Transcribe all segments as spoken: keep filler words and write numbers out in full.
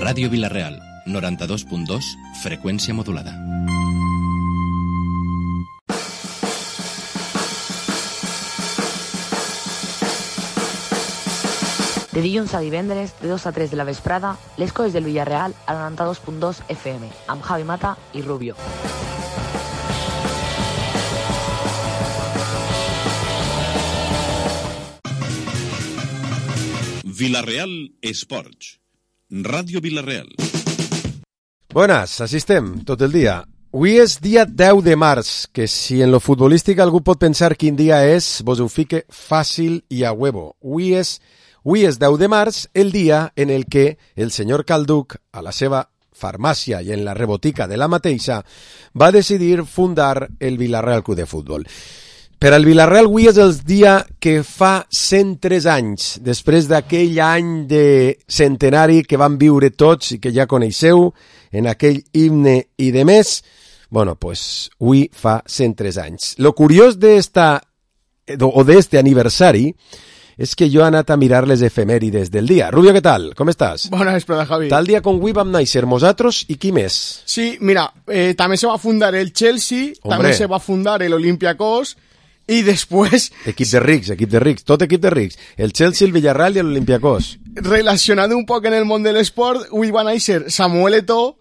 Ràdio Vila-real, noranta-dos punt dos, freqüència modulada. De dilluns a divendres, de dos a tres de la vesprada, les coses del Villarreal a noranta-dos punt dos F M, amb Javi Mata i Rubio. Vila-real Esports. Ràdio Vila-real. Buenas, així estem, tot el dia. Avui és dia deu de març, que si en lo futbolístic algú pot pensar quin dia és, vos ho fique fàcil i a huevo. Avui és, avui és deu de març, el dia en el que el senyor Calduc, a la seva farmàcia i en la rebotica de la mateixa, va decidir fundar el Villarreal Club de Futbol. Per al Villarreal avui és el dia que fa cent tres anys, després d'aquell any de centenari que van viure tots i que ja coneixeu, en aquell himne i de més, bueno, pues avui fa cent tres anys. Lo curiós d'esta, o d'este aniversari, és que jo he anat a mirar les efemèrides del dia. Rubio, què tal? Com estàs? Bona vesprada, Javi. Tal dia com avui vam néixer nosaltres i qui més? Sí, mira, eh, també se va fundar el Chelsea, Hombre. també se va fundar el Olympiacos, i després... Equip de rics, equip de rics, tot equip de rics. El Chelsea, el Villarreal i l'Olympiacos. Relacionat un poc en el món de l'esport, avui va néixer Samuel Eto'o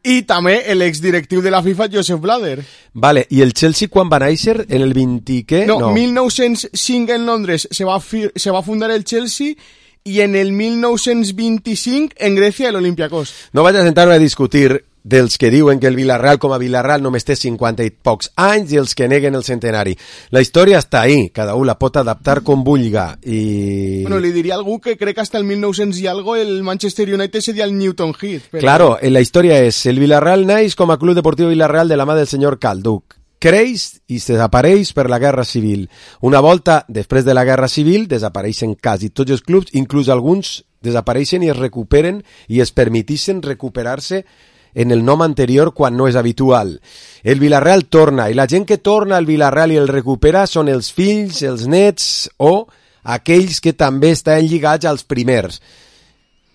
i també l'exdirectiu de la FIFA, Joseph Blatter. Vale, i el Chelsea quan va néixer? En el vint què? No, no. mil nou-cents cinc en Londres se va, fi- se va fundar el Chelsea i en el mil nou-cents vint-i-cinc en Grècia l'Olympiacos. No vaig a sentar-me a discutir dels que diuen que el Villarreal com a Villarreal només té cinquanta i pocs anys i els que neguen el centenari. La història està ahí, cada un la pot adaptar com vulga. I... Bueno, li diria a algú que crec que hasta el mil nou-cents i algo el Manchester United seria el Newton Heath. Però... Claro, la història és, el Villarreal naix com a Club Deportiu Villarreal de la mà del senyor Calduc. Creix i se desapareix per la Guerra Civil. Una volta després de la Guerra Civil desapareixen quasi tots els clubs, inclús alguns desapareixen i es recuperen i es permetixen recuperar-se en el nom anterior quan no és habitual. El Villarreal torna, i la gent que torna al Villarreal i el recupera són els fills, els nets o aquells que també estan lligats als primers.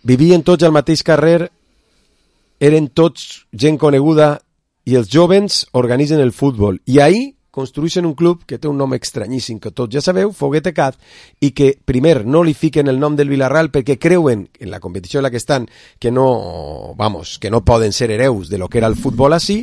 Vivien tots al mateix carrer, eren tots gent coneguda i els jovens organitzen el futbol. I ahí construeixen un club que té un nom estranyíssim, que tots ja sabeu, Foguete Cat, i que primer no li fiquen el nom del Villarreal perquè creuen, en la competició en la que estan, que no, vamos, que no poden ser hereus de lo que era el futbol així,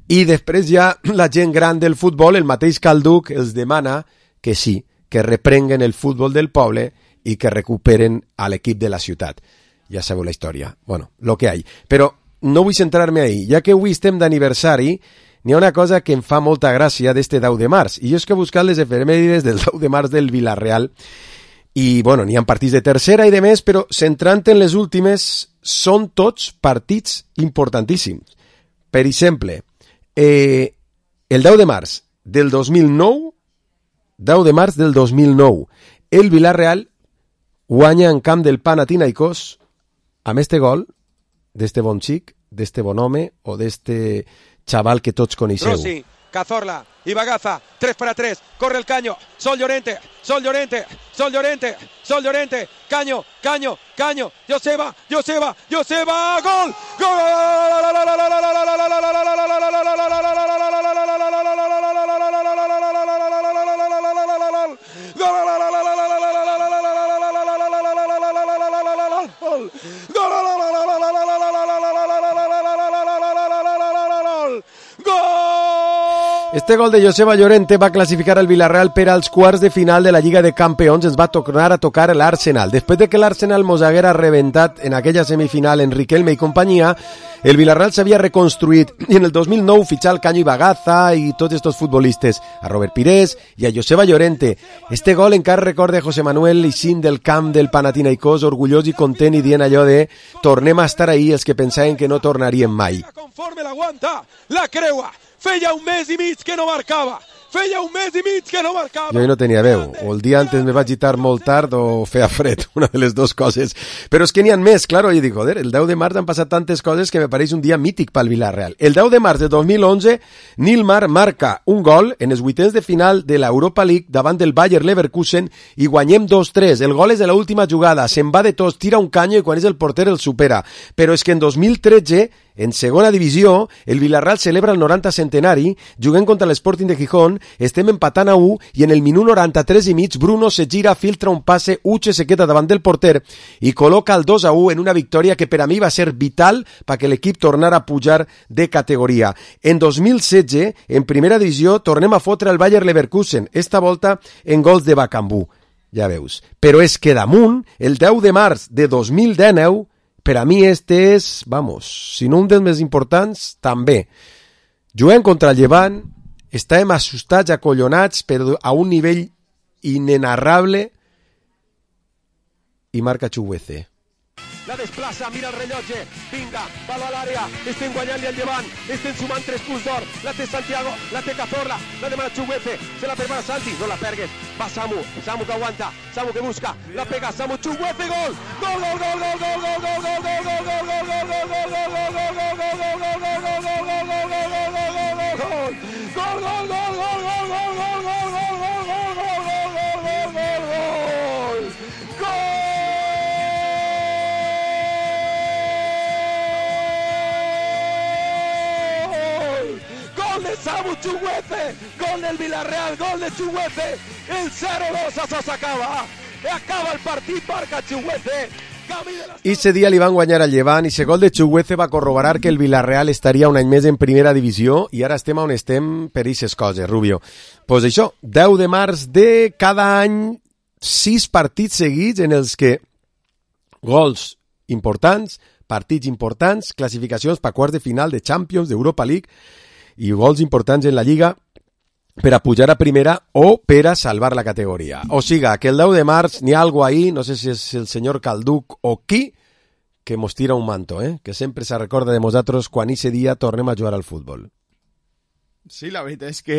i després ja la gent gran del futbol, el mateix Calduc, els demana que sí, que reprenguen el futbol del poble i que recuperen a l'equip de la ciutat. Ja sabeu la història. Bueno, lo que hay. Però no vull centrar-me ahí, ja que avui estem d'aniversari, n'hi ha una cosa que em fa molta gràcia d'este deu de març, i jo és que he buscat les efemèrides del deu de març del Villarreal, i bueno, n'hi ha partits de tercera i de més, però centrant en les últimes, són tots partits importantíssims. Per exemple, eh, el deu de març del dos mil nou, deu de març del dos mil nou, el Villarreal guanya en camp del Panathinaikos amb este gol d'este bon xic, d'este bon home o d'este chaval que tots coneixeu. Rossi, Cazorla y Bagaza, tres para tres, corre el Caño, Sol Llorente, Sol Llorente, Sol Llorente, Sol Llorente, Caño, Caño, Caño, Joseba, Joseba, Joseba, gol, Este gol de Joseba Llorente va classificar el Villarreal per als quarts de final de la Lliga de Campions. Ens va tornar a tocar l'Arsenal. Després de que l'Arsenal mos haguera reventat en aquella semifinal en Riquelme i companyia, el Villarreal s'havia reconstruït i en el dos mil nou fitxar el Caño i Bagaza i tots estos futbolistes, a Robert Pires i a Joseba Llorente. Este gol encara recorda José Manuel Ixín del camp del Panathinaikos, orgullós i content i dient allò de tornem a estar ahí els que pensaven que no tornaríem mai. Conforme l'aguanta, la creua, feia un mes i mig que no marcava, feia un mes i mig que no marcava. Jo no tenia veu, o el dia antes me vaig gitar molt tard o feia fred, una de les dues coses. Però és que n'hi ha més, claro, i dic, joder, el deu de març han passat tantes coses que me pareix un dia mític pel Villarreal. El deu de març de dos mil onze, Nilmar marca un gol en els vuitens de final de l'Europa League davant del Bayer Leverkusen i guanyem dos tres. El gol és de l'última jugada, se'n va de tots, tira un canyo i quan és el porter el supera. Però és que en dos mil tretze, en segona divisió, el Villarreal celebra el noranta centenari, juguem contra l'Sporting de Gijón, estem empatant a u i en el minut noranta-tres i mig Bruno se gira, filtra un passe, Uche se queda davant del porter i col·loca el dos a u en una victòria que per a mi va ser vital perquè l'equip tornara a pujar de categoria. En dos mil setze, en primera divisió, tornem a fotre el Bayer Leverkusen, esta volta en gols de Bakambu. Ja veus. Però és que damunt, el deu de març de dos mil dinou, per a mi este és, vamos, si no un dels més importants, també. Juguem contra el Llevant, estàvem assustats, acollonats, però a un nivell inenarrable, i marca Chukwueze. La desplaça, mira el rellotge, vinga, palo a l'àrea, estem guanyant-li al Llevant, estem sumant tres punts d'or, la té Santiago, la té Cazorla, la demana Chukwueze, se la prepara Santi, no la pergues, va Samu, Samu que aguanta, Samu que busca, la pega Samu, Chukwueze, gol, gol, gol, gol, gol, gol, gol, gol, gol, gol, gol, Samu Chukwueze, gol del Villarreal, gol de Chukwueze, el cero dos, això s'acaba, acaba el partit, marca Chukwueze. I ese dia li van guanyar al Llevant i ese gol de Chukwueze va corroborar que el Villarreal estaria un any més en primera divisió i ara estem on estem per aquestes coses, Rubio. Pues això, deu de març de cada any, sis partits seguits en els que gols importants, partits importants, classificacions per quarts de final de Champions, d'Europa League, i gols importants en la Lliga per a pujar a primera o per a salvar la categoria. O siga, que el deu de març n'hi ha algo ahí, no sé si és el senyor Calduc o qui, que mos tira un manto, eh? Que sempre se recorda de nosaltres quan ese dia tornem a jugar al futbol. Sí, la veritat és que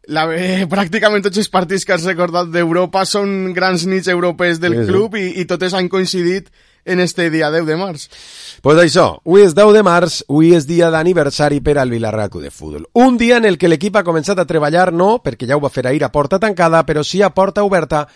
la, eh, pràcticament tots els partits que has recordat d'Europa són grans nits europees del sí, club sí. I, i totes han coincidit en este dia deu de març. Pues això, avui és deu de març, avui és dia d'aniversari per al Villarreal Club de Futbol. Un dia en el que l'equip ha començat a treballar, no, perquè ja ho va fer ahir a porta tancada, però sí a porta oberta,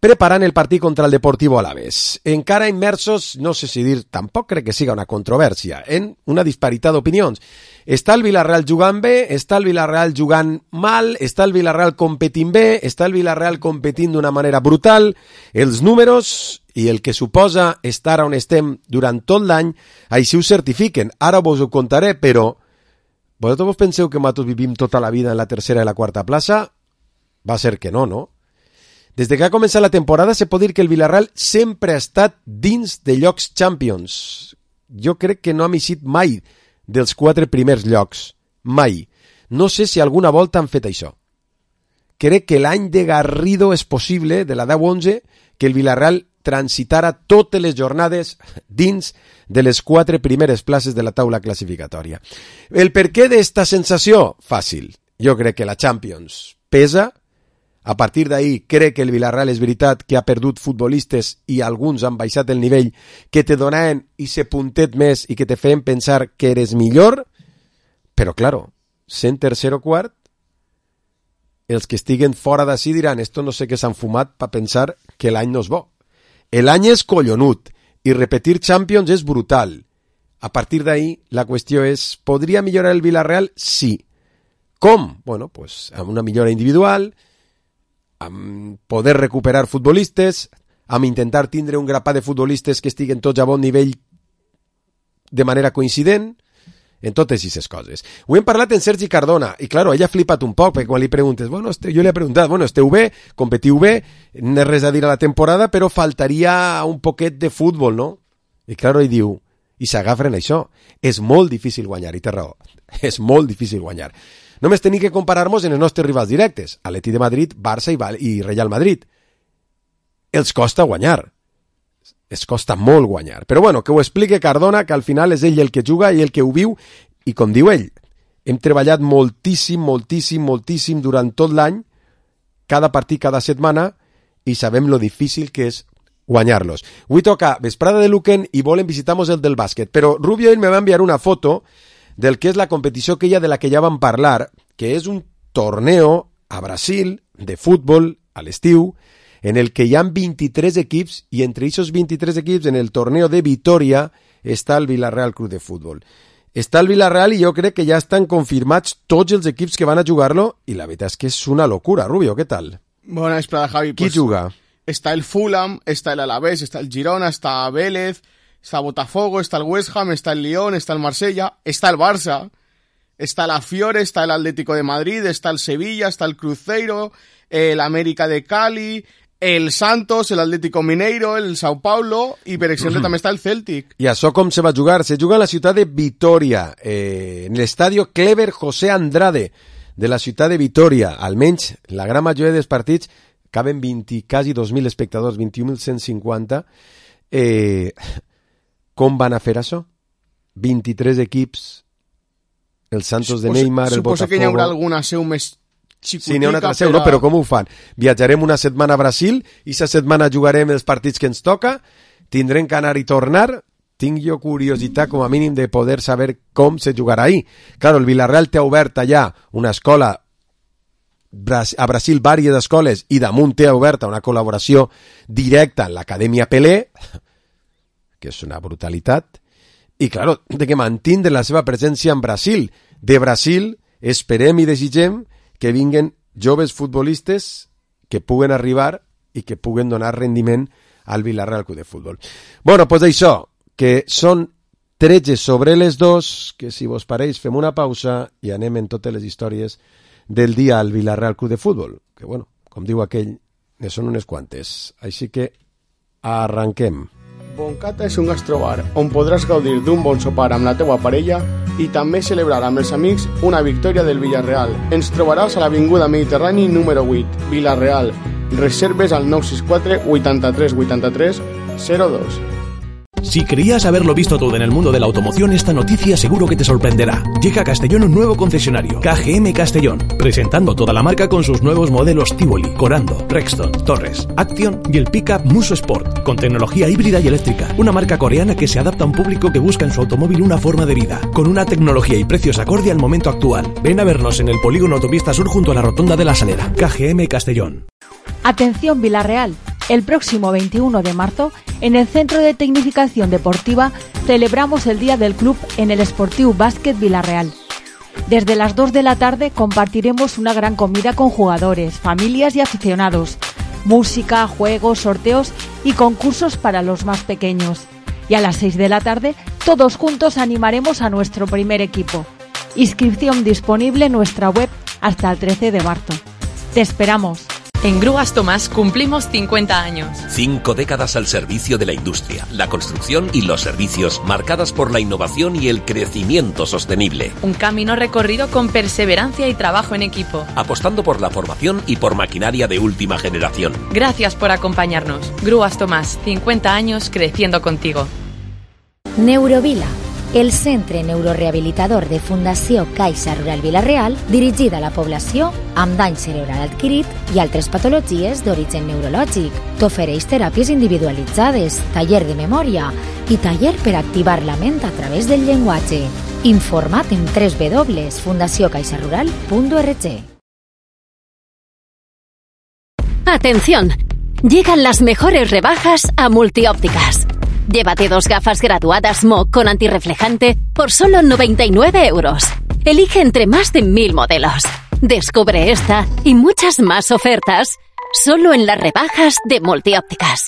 preparant el partit contra el Deportivo Alavés. Encara immersos, no sé si dir, tampoc crec que siga una controvèrsia, en una disparitat d'opinions. Està el Villarreal jugant bé, està el Villarreal jugant mal, està el Villarreal competint bé, està el Villarreal competint d'una manera brutal. Els números i el que suposa estar on estem durant tot l'any, així ho certifiquen. Ara vos ho contaré, però vosaltres vos penseu que nosaltres vivim tota la vida en la tercera i la quarta plaça? Va ser que no, no? Des de que ha començat la temporada se pot dir que el Villarreal sempre ha estat dins de llocs Champions. Jo crec que no ha eixit mai dels quatre primers llocs. Mai. No sé si alguna volta han fet això. Crec que l'any de Garrido és possible, de la deu onze, que el Villarreal transitara totes les jornades dins de les quatre primeres places de la taula classificatòria. El perquè d'esta sensació? Fàcil. Jo crec que la Champions pesa. A partir d'ahir crec que el Villarreal és veritat que ha perdut futbolistes i alguns han baixat el nivell que te donaven ese puntet més i que te feien pensar que eres millor, però claro, sent tercer o quart, els que estiguen fora d'ací diran esto no sé què s'han fumat per pensar que l'any no és bo. L'any és collonut i repetir Champions és brutal. A partir d'ahir la qüestió és, podria millorar el Villarreal? Sí. Com? Bueno, pues amb una millora individual, amb poder recuperar futbolistes, amb intentar tindre un grapat de futbolistes que estiguen tots a bon nivell de manera coincident, en totes aquestes coses. Ho hem parlat en Sergi Cardona, i claro, ell ha flipat un poc, perquè quan li preguntes, bueno, este, jo li he preguntat, bueno, esteu bé, competiu bé, no és res a dir a la temporada, però faltaria un poquet de futbol, no? I claro, ell diu, i s'agafen això, és molt difícil guanyar, i té raó, és molt difícil guanyar. Només tenim que comparar-nos en els nostres rivals directes, Atleti de Madrid, Barça i, Val- i Real Madrid. Els costa guanyar. Es costa molt guanyar. Però bueno, que ho explique Cardona, que al final és ell el que juga i el que ho viu, i com diu ell, hem treballat moltíssim, moltíssim, moltíssim durant tot l'any, cada partit, cada setmana, i sabem lo difícil que és guanyar-los. Avui toca vesprada de Luquen i volen visitar-nos el del bàsquet, però Rubio ell me va enviar una foto del que és la competició aquella de la que ja vam parlar, que és un torneo a Brasil de futbol a l'estiu, en el que hi ha vint-i-tres equips, i entre aquests vint-i-tres equips, en el torneo de Vitoria, està el Villarreal Club de Futbol. Està el Villarreal i jo crec que ja estan confirmats tots els equips que van a jugar-lo, i la veritat és que és una locura. Rubio, què tal? Bona vesprada, Javi. Qui pues, juga? Está el Fulham, está el Alavés, está el Girona, está Vélez, está Botafogo, está el West Ham, está el Lyon, está el Marsella, está el Barça, está la Fiore, está el Atlético de Madrid, está el Sevilla, está el Cruzeiro, el América de Cali, el Santos, el Atlético Mineiro, el Sao Paulo, i per exemple també està el Celtic. I això com se va jugar? Se juga en la ciutat de Vitoria, eh, en l'estadio Clever José Andrade de la ciutat de Vitoria. Almenys la gran majoria dels partits caben vint, quasi dos mil espectadors, vint-i-un mil cent cinquanta. Eh, com van a fer això? vint-i-tres equips, el Santos de Neymar, el Botafogo... Suposo que hi haurà alguna seu més xicotica. Sí, n'hi ha una altra seu, no? Però com ho fan? Viatjarem una setmana a Brasil, i aquesta setmana jugarem els partits que ens toca, tindrem que anar i tornar. Tinc jo curiositat, com a mínim, de poder saber com se jugarà ahí. Claro, el Villarreal té oberta ja una escola a Brasil, diverses escoles, i damunt té oberta una col·laboració directa amb l'Acadèmia Pelé, que és una brutalitat, i, claro, de que mantindre la seva presència en Brasil. De Brasil esperem i desitgem que vinguen joves futbolistes que puguen arribar i que puguen donar rendiment al Villarreal Club de Futbol. Bueno, pues això, que són tretze sobre les dos, que si vos pareix fem una pausa i anem en totes les històries del dia al Villarreal Club de Futbol, que bueno, com diu aquell, ne són unes quantes. Així que arranquem. Boncata és un gastrobar on podràs gaudir d'un bon sopar amb la teua parella i també celebrar amb els amics una victòria del Villarreal. Ens trobaràs a l'Avinguda Mediterrani número vuit, Villarreal. Reserves al nou sis quatre, vuitanta-tres, vuitanta-tres, zero dos. Si creías haberlo visto todo en el mundo de la automoción, esta noticia seguro que te sorprenderá. Llega a Castellón un nuevo concesionario, K G M Castellón, presentando toda la marca con sus nuevos modelos Tivoli, Corando, Rexton, Torres, Action y el pickup Muso Sport, con tecnología híbrida y eléctrica. Una marca coreana que se adapta a un público que busca en su automóvil una forma de vida, con una tecnología y precios acorde al momento actual. Ven a vernos en el polígono Autopista Sur junto a la Rotonda de la Salera. K G M Castellón. Atención Villarreal, el próximo veintiuno de marzo, en el Centro de Tecnificación Deportiva, celebramos el Día del Club en el Esportiu Bàsquet Villarreal. Desde las dos de la tarde compartiremos una gran comida con jugadores, familias y aficionados, música, juegos, sorteos y concursos para los más pequeños. Y a las seis de la tarde, todos juntos animaremos a nuestro primer equipo. Inscripción disponible en nuestra web hasta el trece de marzo. ¡Te esperamos! En Grúas Tomás cumplimos cincuenta años. Cinco décadas al servicio de la industria, la construcción y los servicios, marcadas por la innovación y el crecimiento sostenible. Un camino recorrido con perseverancia y trabajo en equipo. Apostando por la formación y por maquinaria de última generación. Gracias por acompañarnos. Grúas Tomás, cincuenta años creciendo contigo. Neurovila, el centre neurorehabilitador de Fundació Caixa Rural Villarreal, dirigit a la població amb dany cerebral adquirit i altres patologies d'origen neurològic. T'ofereix teràpies individualitzades, taller de memòria i taller per activar la ment a través del llenguatge. Informa't en doble u doble u doble u punt fundació caixa rural punt org. Atención, llegan las mejores rebajas a Multiópticas. Llévate dos gafas graduadas M O con antirreflejante por solo noventa y nueve euros. Elige entre más de mil modelos. Descubre esta y muchas más ofertas solo en las rebajas de Multiópticas.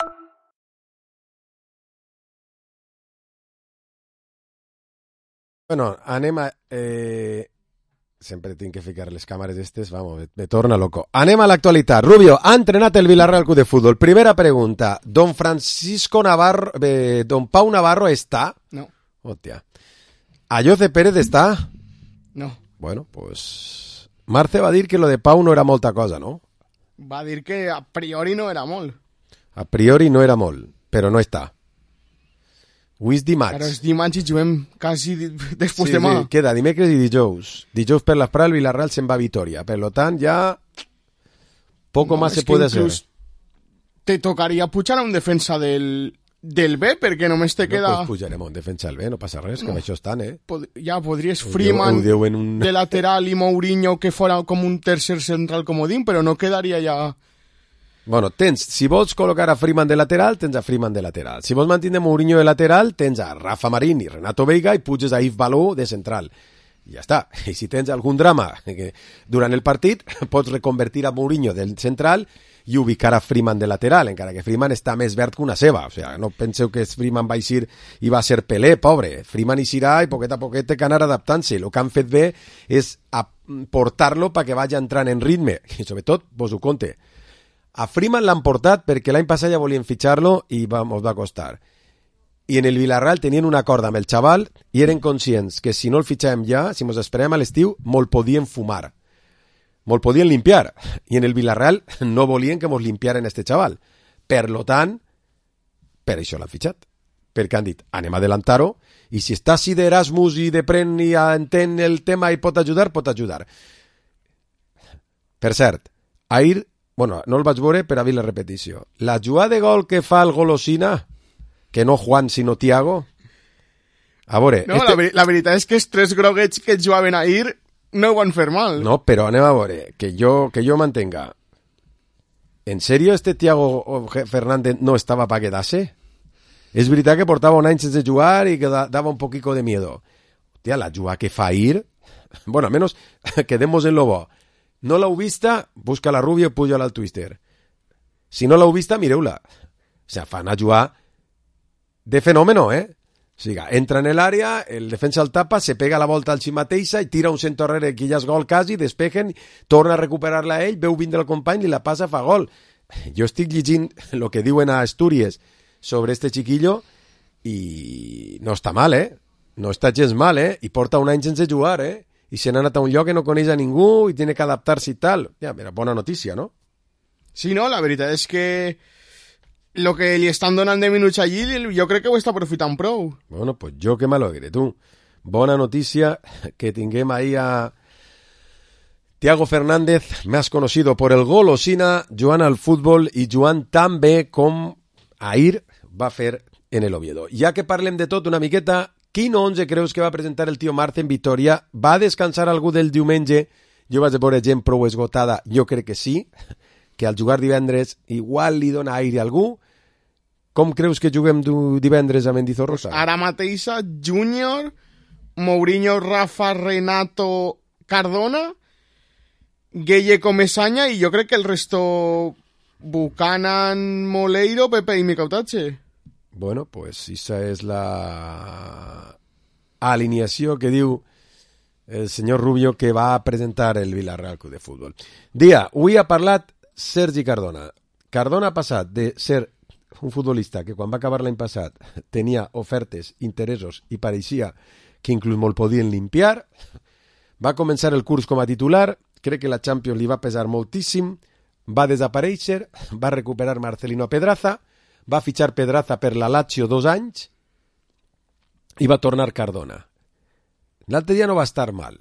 Bueno, anem a... Eh... Sempre tinc que ficar les càmeres estes, vamos, me, me torna loco. Anem a l'actualitat. Rubio, ha entrenat el Villarreal Club de Futbol. Primera pregunta. Don Francisco Navarro, eh, Don Pau Navarro està? No. Hòstia. Ayoce Pérez està? No. Bueno, pues... Marce va dir que lo de Pau no era molta cosa, no? Va dir que a priori no era molt. A priori no era molt, però no està. Avui és dimarts. Però és dimarts i juguem quasi després sí, demà. Sí, queda dimecres i dijous. Dijous per la Pral, Villarreal se'n va a Vitoria. Per lo tant, ja poco no, más se puede hacer. Te tocaria pujar a un defensa del, del B, perquè només te no, queda... Pues pujarem a un defensa del B, no passa res, no. Que amb això estan, eh? Pod ja podries Freeman un... de lateral i Mourinho que fora com un tercer central comodín, però no quedaria ja... Bueno, tens, si vols col·locar a Freeman de lateral, tens a Freeman de lateral. Si vols mantenir Mourinho de lateral, tens a Rafa Marín i Renato Veiga i puges a Yves Baló de central. I ja està. I si tens algun drama que durant el partit, pots reconvertir a Mourinho del central i ubicar a Freeman de lateral, encara que Freeman està més verd que una ceba. O sigui, no penseu que Freeman va eixir i va ser Pelé, pobre. Freeman eixirà i poquet a poquet té que anar adaptant-se. El que han fet bé és portar-lo perquè vagi entrant en ritme. I sobretot, vos ho conte, a Freeman l'han portat perquè l'any passat ja volien fitxar-lo i va, mos va costar. I en el Villarreal tenien un acord amb el xaval i eren conscients que si no el fitxàvem ja, si mos esperem a l'estiu, molt podien fumar. Molt podien limpiar. I en el Villarreal no volien que mos limpiaren este xaval. Per lo tant, per això l'han fitxat. Perquè han dit, anem a adelantar-ho, i si està així d'Erasmus i de pren i entén el tema i pot ajudar, pot ajudar. Per cert, ahir... Bueno, no el vaig veure, però a vi la repetició. La jugada de gol que fa el Golosina, que no Juan, sinó Thiago... A veure... No, este... la, la veritat és que els tres groguets que jugaven ahir no ho van fer mal. No, però anem a veure, que jo, que jo mantenga. ¿En serio este Thiago Fernández no estava para quedarse? És veritat que portava un any sense jugar i que dava un poquito de miedo. Hòstia, la jugada que fa ahir... Bueno, al menos quedemos en lo bo. No l'heu vista, busca la Rubio i puja-la al Twister. Si no l'heu vista, mireu-la. O sea, fan a jugar de fenómeno, eh? O sigui, entra en l'àrea, el defensa el tapa, se pega la volta al si mateixa i tira un centre enrere que ja és gol quasi, despegen, torna a recuperar-la ell, veu vindre el company i la passa, fa gol. Jo estic llegint el que diuen a Astúries sobre este chiquillo i no està mal, eh? No està gens mal, eh? I porta un any sense jugar, eh? I se n'ha anat a un lloc que no coneix a ningú i tiene que adaptar-se i tal. Ja, mira, bona notícia, no? Sí, no, la veritat és que lo que li estan donant de minuts allí jo crec que ho està aprofitant prou. Bueno, pues jo que m'alegre, tu. Bona notícia que tinguem ahí a Thiago Fernández, más conocido por el Golosina, jugant al futbol i jugant tan bé com ahir va fer en el Oviedo. Ja que parlem de tot una miqueta, quin onze creus que va presentar el tio Marce en Vitoria? Va descansar algú del diumenge? Jo vaig veure gent prou esgotada, jo crec que sí, que al jugar divendres igual li dona aire a algú. Com creus que juguem divendres a Mendizorrosa? Ara mateixa, Júnior, Mourinho, Rafa, Renato, Cardona, Gueye, Comesaña i jo crec que el resto Buchanan, Moleiro, Pepe i Micautache. Bueno, pues esa es la alineació que diu el senyor Rubio que va a presentar el Villarreal Club de Futbol. Dia, avui ha parlat Sergi Cardona. Cardona ha passat de ser un futbolista que quan va acabar l'any passat tenia ofertes, interessos i pareixia que inclús molt podien limpiar. Va començar el curs com a titular, crec que la Champions li va pesar moltíssim, va desaparèixer, va recuperar Marcelino Pedraza, va fitxar Pedraza per la Lazio dos anys i va tornar Cardona. L'altre dia no va estar mal.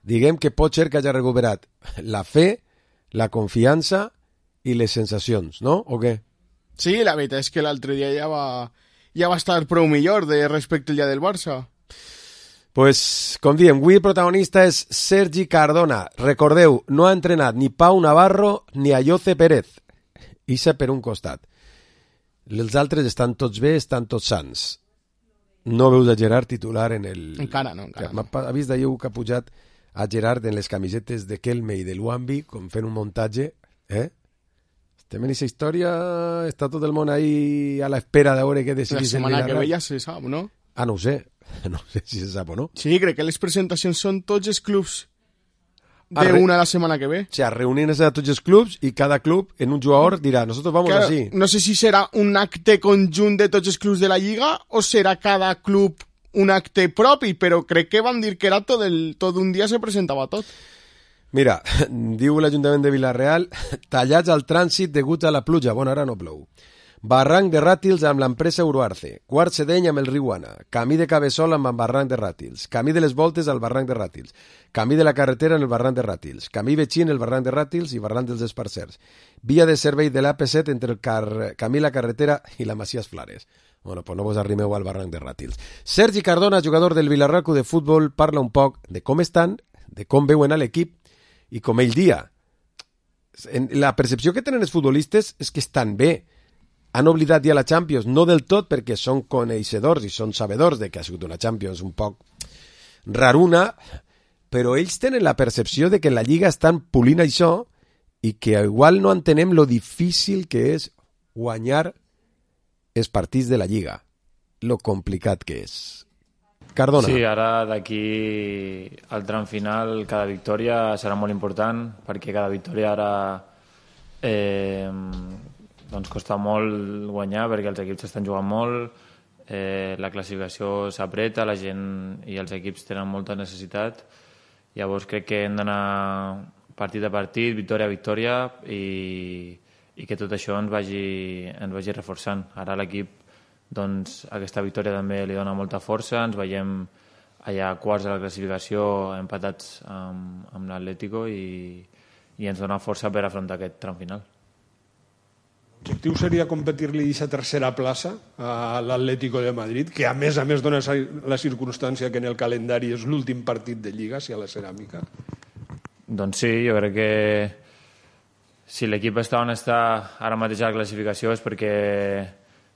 Diguem que pot ser que hagi recuperat la fe, la confiança i les sensacions, no? O què? Sí, la veritat és que l'altre dia ja va, ja va estar prou millor de respecte al dia del Barça. Pues, com diem, avui el protagonista és Sergi Cardona. Recordeu, no ha entrenat ni Pau Navarro ni Ayoce Pérez. Ixa per un costat. Els altres estan tots bé, estan tots sants. No veus a Gerard titular en el... Encara no, encara no. Ha vist d'ahir que ha pujat a Gerard en les camisetes de Kelme i de Luambi, com fent un muntatge, eh? Estem en aquesta història, està tot el món ahí a l'espera de veure què decidís. La setmana que ve ja se sap, no? Ah, no ho sé, no sé si se sap o no. Sí, crec que les presentacions són tots els clubs d'una la setmana que ve. O sea, reunirse a tots els clubs i cada club en un jugador dirà, nosotros vamos claro, así. No sé si serà un acte conjunt de tots els clubs de la Lliga o serà cada club un acte propi, però crec que van dir que era tot, el, tot un dia se presentava tot. Mira, diu l'Ajuntament de Villarreal, tallats al trànsit degut a la pluja. Bueno, ara no plou. Barranc de Ràtils amb l'empresa Euroarce, Quart Sedeny amb el riu Ana, camí de Cabeçol amb el Barranc de Ràtils, camí de les Voltes al Barranc de Ràtils, camí de la carretera en el Barranc de Ràtils, camí Betxí en el Barranc de Ràtils i Barranc dels Esparcers, via de servei de l'A P set entre el car... camí la carretera i la Macias Flares. Bueno, pues no vos arrimeu al Barranc de Ràtils. Sergi Cardona, jugador del Vilarraco de futbol, parla un poc de com estan, de com veuen a l'equip i com ell dia. La percepció que tenen els futbolistes és que estan bé. Han oblidat ja la Champions, no del tot perquè són coneixedors i són sabedors de que ha sigut una Champions un poc raruna, però ells tenen la percepció de que en la Lliga estan polint això i que igual no entenem lo difícil que és guanyar els partits de la Lliga, lo complicat que és. Cardona. Sí, ara d'aquí al tram final cada victòria serà molt important perquè cada victòria ara eh, doncs costa molt guanyar perquè els equips estan jugant molt, eh, la classificació s'apreta, la gent i els equips tenen molta necessitat. Llavors crec que hem d'anar partit a partit, victòria a victòria i, i que tot això ens vagi, ens vagi reforçant. Ara l'equip, doncs, aquesta victòria també li dona molta força, ens veiem allà quarts de la classificació empatats amb, amb l'Atlético i, i ens dona força per afrontar aquest tram final. L'objectiu seria competir-li aquesta tercera plaça a l'Atlético de Madrid, que a més a més dona la circumstància que en el calendari és l'últim partit de Lliga, si a la Ceràmica. Doncs sí, jo crec que si l'equip està on està ara mateix a la classificació és perquè,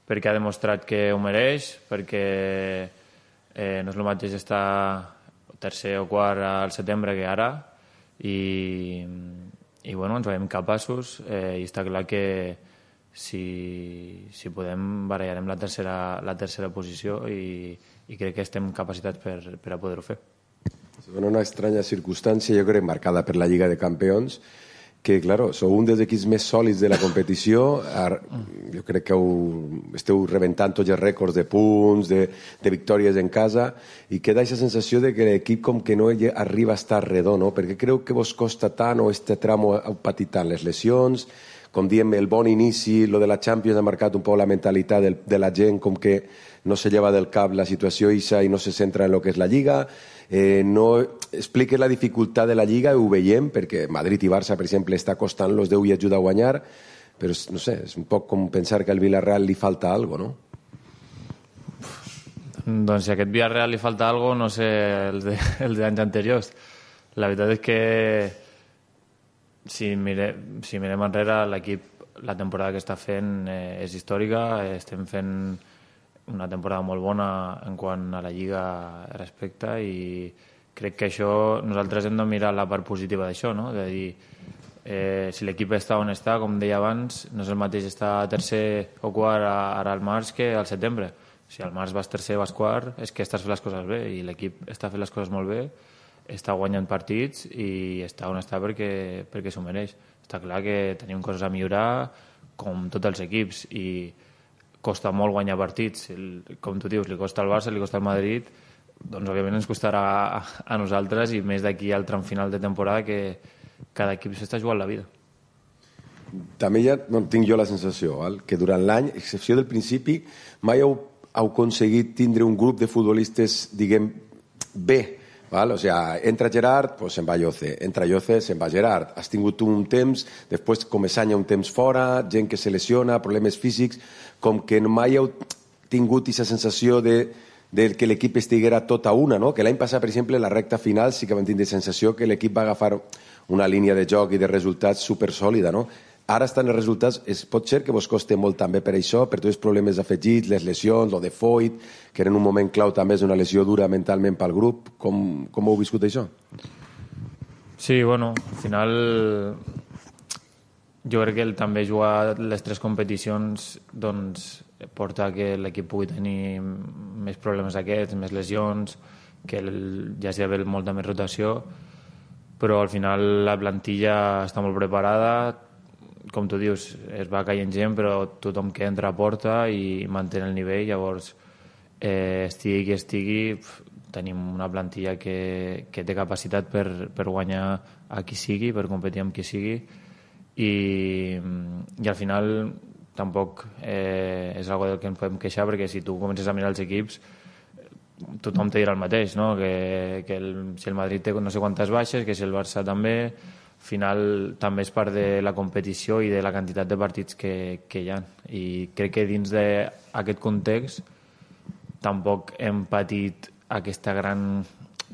perquè ha demostrat que ho mereix, perquè eh, no és el mateix estar tercer o quart al setembre que ara i, i bueno, ens veiem capaços eh, i està clar que Si, si podem barallarem la tercera, la tercera posició i, i crec que estem capacitats per, per a poder-ho fer. Es dona una estranya circumstància, jo crec, marcada per la Lliga de Campions, que, claro, sou un dels equips més sòlids de la competició, jo crec que heu, esteu rebentant tots els rècords de punts, de, de victòries en casa, i queda aquesta sensació de que l'equip com que no arriba a estar redó, no? Perquè creu que vos costa tant o este tramo heu patit tant les lesions, com diem, el bon inici, lo de la Champions ha marcat un poc la mentalitat de, de la gent, com que no se lleva del cap la situació ixa i no se centra en lo que és la Lliga. Eh, no expliques la dificultat de la Lliga, ho veiem, perquè Madrid i Barça, per exemple, està costant los deu i ajuda a guanyar, però no sé, és un poc com pensar que al Villarreal li falta algo, no? Doncs si a aquest Villarreal li falta algo, no sé, els de, els d'anys anteriors. La veritat és que Si, mire, si mirem enrere, l'equip, la temporada que està fent eh, és històrica, estem fent una temporada molt bona en quant a la Lliga respecte i crec que això nosaltres hem de mirar la part positiva d'això, no? De dir, eh, si l'equip està on està, com deia abans, no és el mateix estar tercer o quart ara al març que al setembre. Si al març vas tercer o vas quart, és que estàs fent les coses bé i l'equip està fent les coses molt bé, està guanyant partits i està on està perquè, perquè s'ho mereix. Està clar que tenim coses a millorar, com tots els equips, i costa molt guanyar partits. Com tu dius, li costa al Barça, li costa al Madrid, doncs òbviament ens costarà a, a nosaltres i més d'aquí al tram final de temporada que cada equip s'està jugant la vida. També ja no, tinc jo la sensació val? Que durant l'any, excepció del principi, mai heu, heu aconseguit tindre un grup de futbolistes, diguem, bé. Val? O sea, entra Gerard, pues se'n va Lloce, entra Lloce, se'n va Gerard. Has tingut un temps, després Comesaña un temps fora, gent que se lesiona, problemes físics, com que mai heu tingut aquesta sensació de, de que l'equip estiguera tot a una, no? Que l'any passat, per exemple, la recta final sí que vam tindre sensació que l'equip va agafar una línia de joc i de resultats supersòlida, no? Ara estan els resultats, es pot ser que vos costi molt també per això, per tots els problemes afegits, les lesions, lo de Foyt, que en un moment clau també és una lesió dura mentalment pel grup. Com, com heu viscut això? Sí, bueno, al final jo crec que el també jugar les tres competicions doncs, porta que l'equip pugui tenir més problemes aquests, més lesions, que el, ja s'hi ha d'haver molta més rotació, però al final la plantilla està molt preparada, com tu dius, es va caient gent, però tothom que entra a porta i mantén el nivell, llavors eh, estigui qui estigui, tenim una plantilla que, que té capacitat per, per guanyar a qui sigui, per competir amb qui sigui, i, i al final tampoc eh, és algo del que ens podem queixar, perquè si tu comences a mirar els equips tothom te dirà el mateix, no? que, que el, si el Madrid té no sé quantes baixes, que si el Barça també, al final també és part de la competició i de la quantitat de partits que, que hi ha, i crec que dins d'aquest context tampoc hem patit aquesta gran...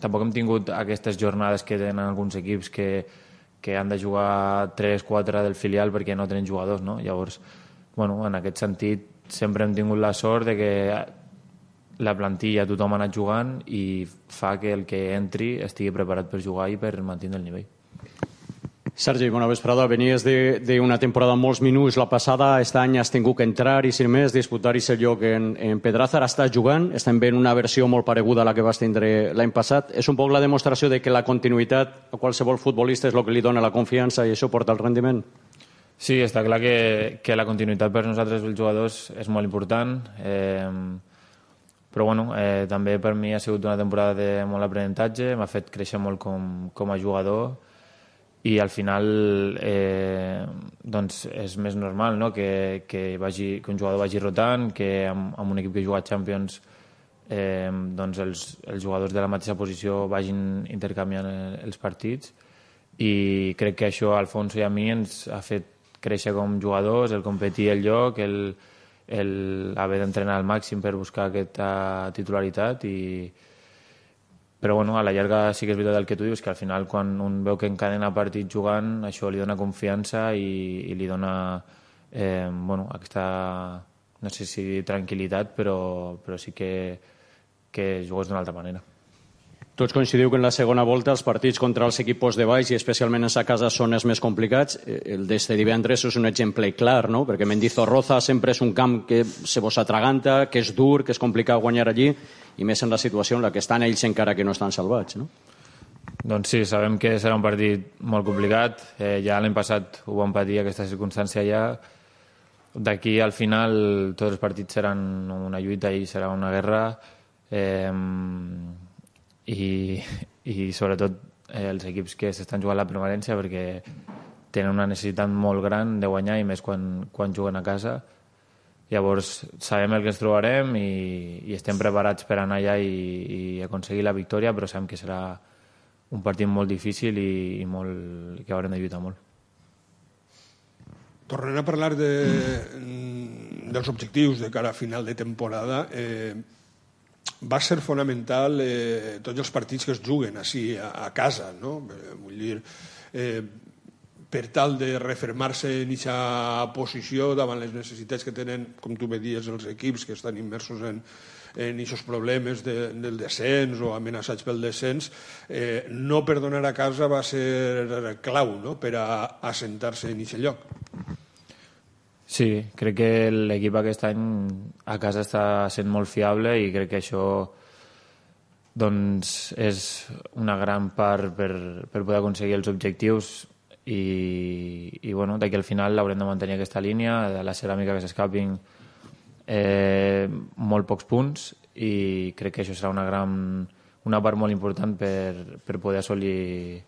tampoc hem tingut aquestes jornades que tenen alguns equips que, que han de jugar tres quatre del filial perquè no tenen jugadors, no? Llavors, bueno, en aquest sentit sempre hem tingut la sort de que la plantilla tothom ha anat jugant i fa que el que entri estigui preparat per jugar i per mantenir el nivell. Sergi, bona vesprada. Venies d'una temporada amb molts minuts la passada, aquest any has tingut que entrar i sin més, disputar aquest lloc en, en Pedraza, ara estàs jugant, estem veient una versió molt pareguda a la que vas tindre l'any passat. És un poc la demostració de que la continuïtat a qualsevol futbolista és el que li dona la confiança i això porta el rendiment? Sí, està clar que, que la continuïtat per nosaltres els jugadors és molt important, eh, però bueno, eh, també per mi ha sigut una temporada de molt aprenentatge, m'ha fet créixer molt com, com a jugador, i al final eh, doncs és més normal, no? que, que, vagi, que un jugador vagi rotant, que amb, amb un equip que juga a Champions eh, doncs els, els jugadors de la mateixa posició vagin intercanviant els partits, i crec que això a Alfonso i a mi ens ha fet créixer com jugadors, el competir el lloc, el, el haver d'entrenar al màxim per buscar aquesta titularitat, i però bueno, a la llarga sí que és veritat el que tu dius, que al final quan un veu que encadena partits jugant, això li dona confiança i, i li dona eh, bueno, aquesta, no sé si tranquil·litat, però, però sí que, que jugues d'una altra manera. Tots coincidiu que en la segona volta els partits contra els equips de baix i especialment en sa casa són els més complicats. El d'este divendres és un exemple clar, no? Perquè Mendizorroza sempre és un camp que se vos atraganta, que és dur, que és complicat guanyar allí, i més en la situació en la que estan ells encara que no estan salvats, no? Doncs sí, sabem que serà un partit molt complicat. Eh, ja l'any passat ho vam patir, aquesta circumstància ja. D'aquí al final tots els partits seran una lluita i serà una guerra. Eh, i, i sobretot eh, els equips que s'estan jugant la permanència, perquè tenen una necessitat molt gran de guanyar, i més quan, quan juguen a casa. Llavors sabem el que ens trobarem i, i estem preparats per anar allà i, i aconseguir la victòria, però sabem que serà un partit molt difícil i, i molt, que haurem de lluitar molt. Tornant a parlar de, dels objectius de cara a final de temporada, eh, va ser fonamental eh, tots els partits que es juguen així a, a casa, no? Eh, vull dir, eh, per tal de refermar-se en aquesta posició davant les necessitats que tenen, com tu bé dies, els equips que estan immersos en en aquests problemes de, del descens o amenaçats pel descens, eh, no perdonar a casa va ser clau, no?, per a assentar-se en aquest lloc. Sí, crec que l'equip aquest any a casa està sent molt fiable i crec que això doncs, és una gran part per, per poder aconseguir els objectius i, i bueno, d'aquí al final haurem de mantenir aquesta línia, de la ceràmica que s'escapin eh, molt pocs punts, i crec que això serà una gran una part molt important per, per poder assolir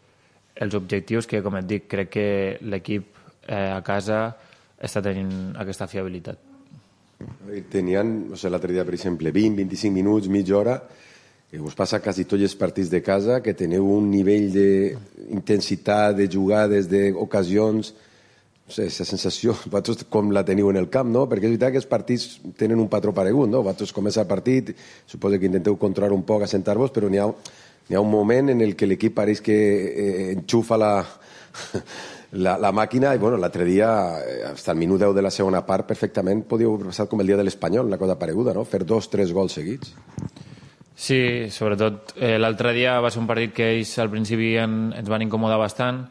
els objectius que, com et dic, crec que l'equip eh, a casa està tenint aquesta fiabilitat. Tenien, o sigui, l'altre dia, per exemple, vint a vint-i-cinc minuts, mitja hora, que us passa quasi tots els partits de casa, que teniu un nivell d'intensitat, de jugades, d'ocasions, no sé, aquesta sensació, vosaltres com la teniu en el camp, no? Perquè és veritat que els partits tenen un patró paregut, no? Vosaltres comença el partit, suposo que intenteu controlar un poc, assentar-vos, però n'hi ha, n'hi ha un moment en el que l'equip pareix que eh, enxufa la... La, la màquina, i bueno, l'altre dia, fins al minut deu de la segona part, perfectament podíeu haver passat com el dia de l'Espanyol, una cosa pareguda, no? Fer dos, tres gols seguits. Sí, sobretot eh, l'altre dia va ser un partit que ells al principi en, ens van incomodar bastant,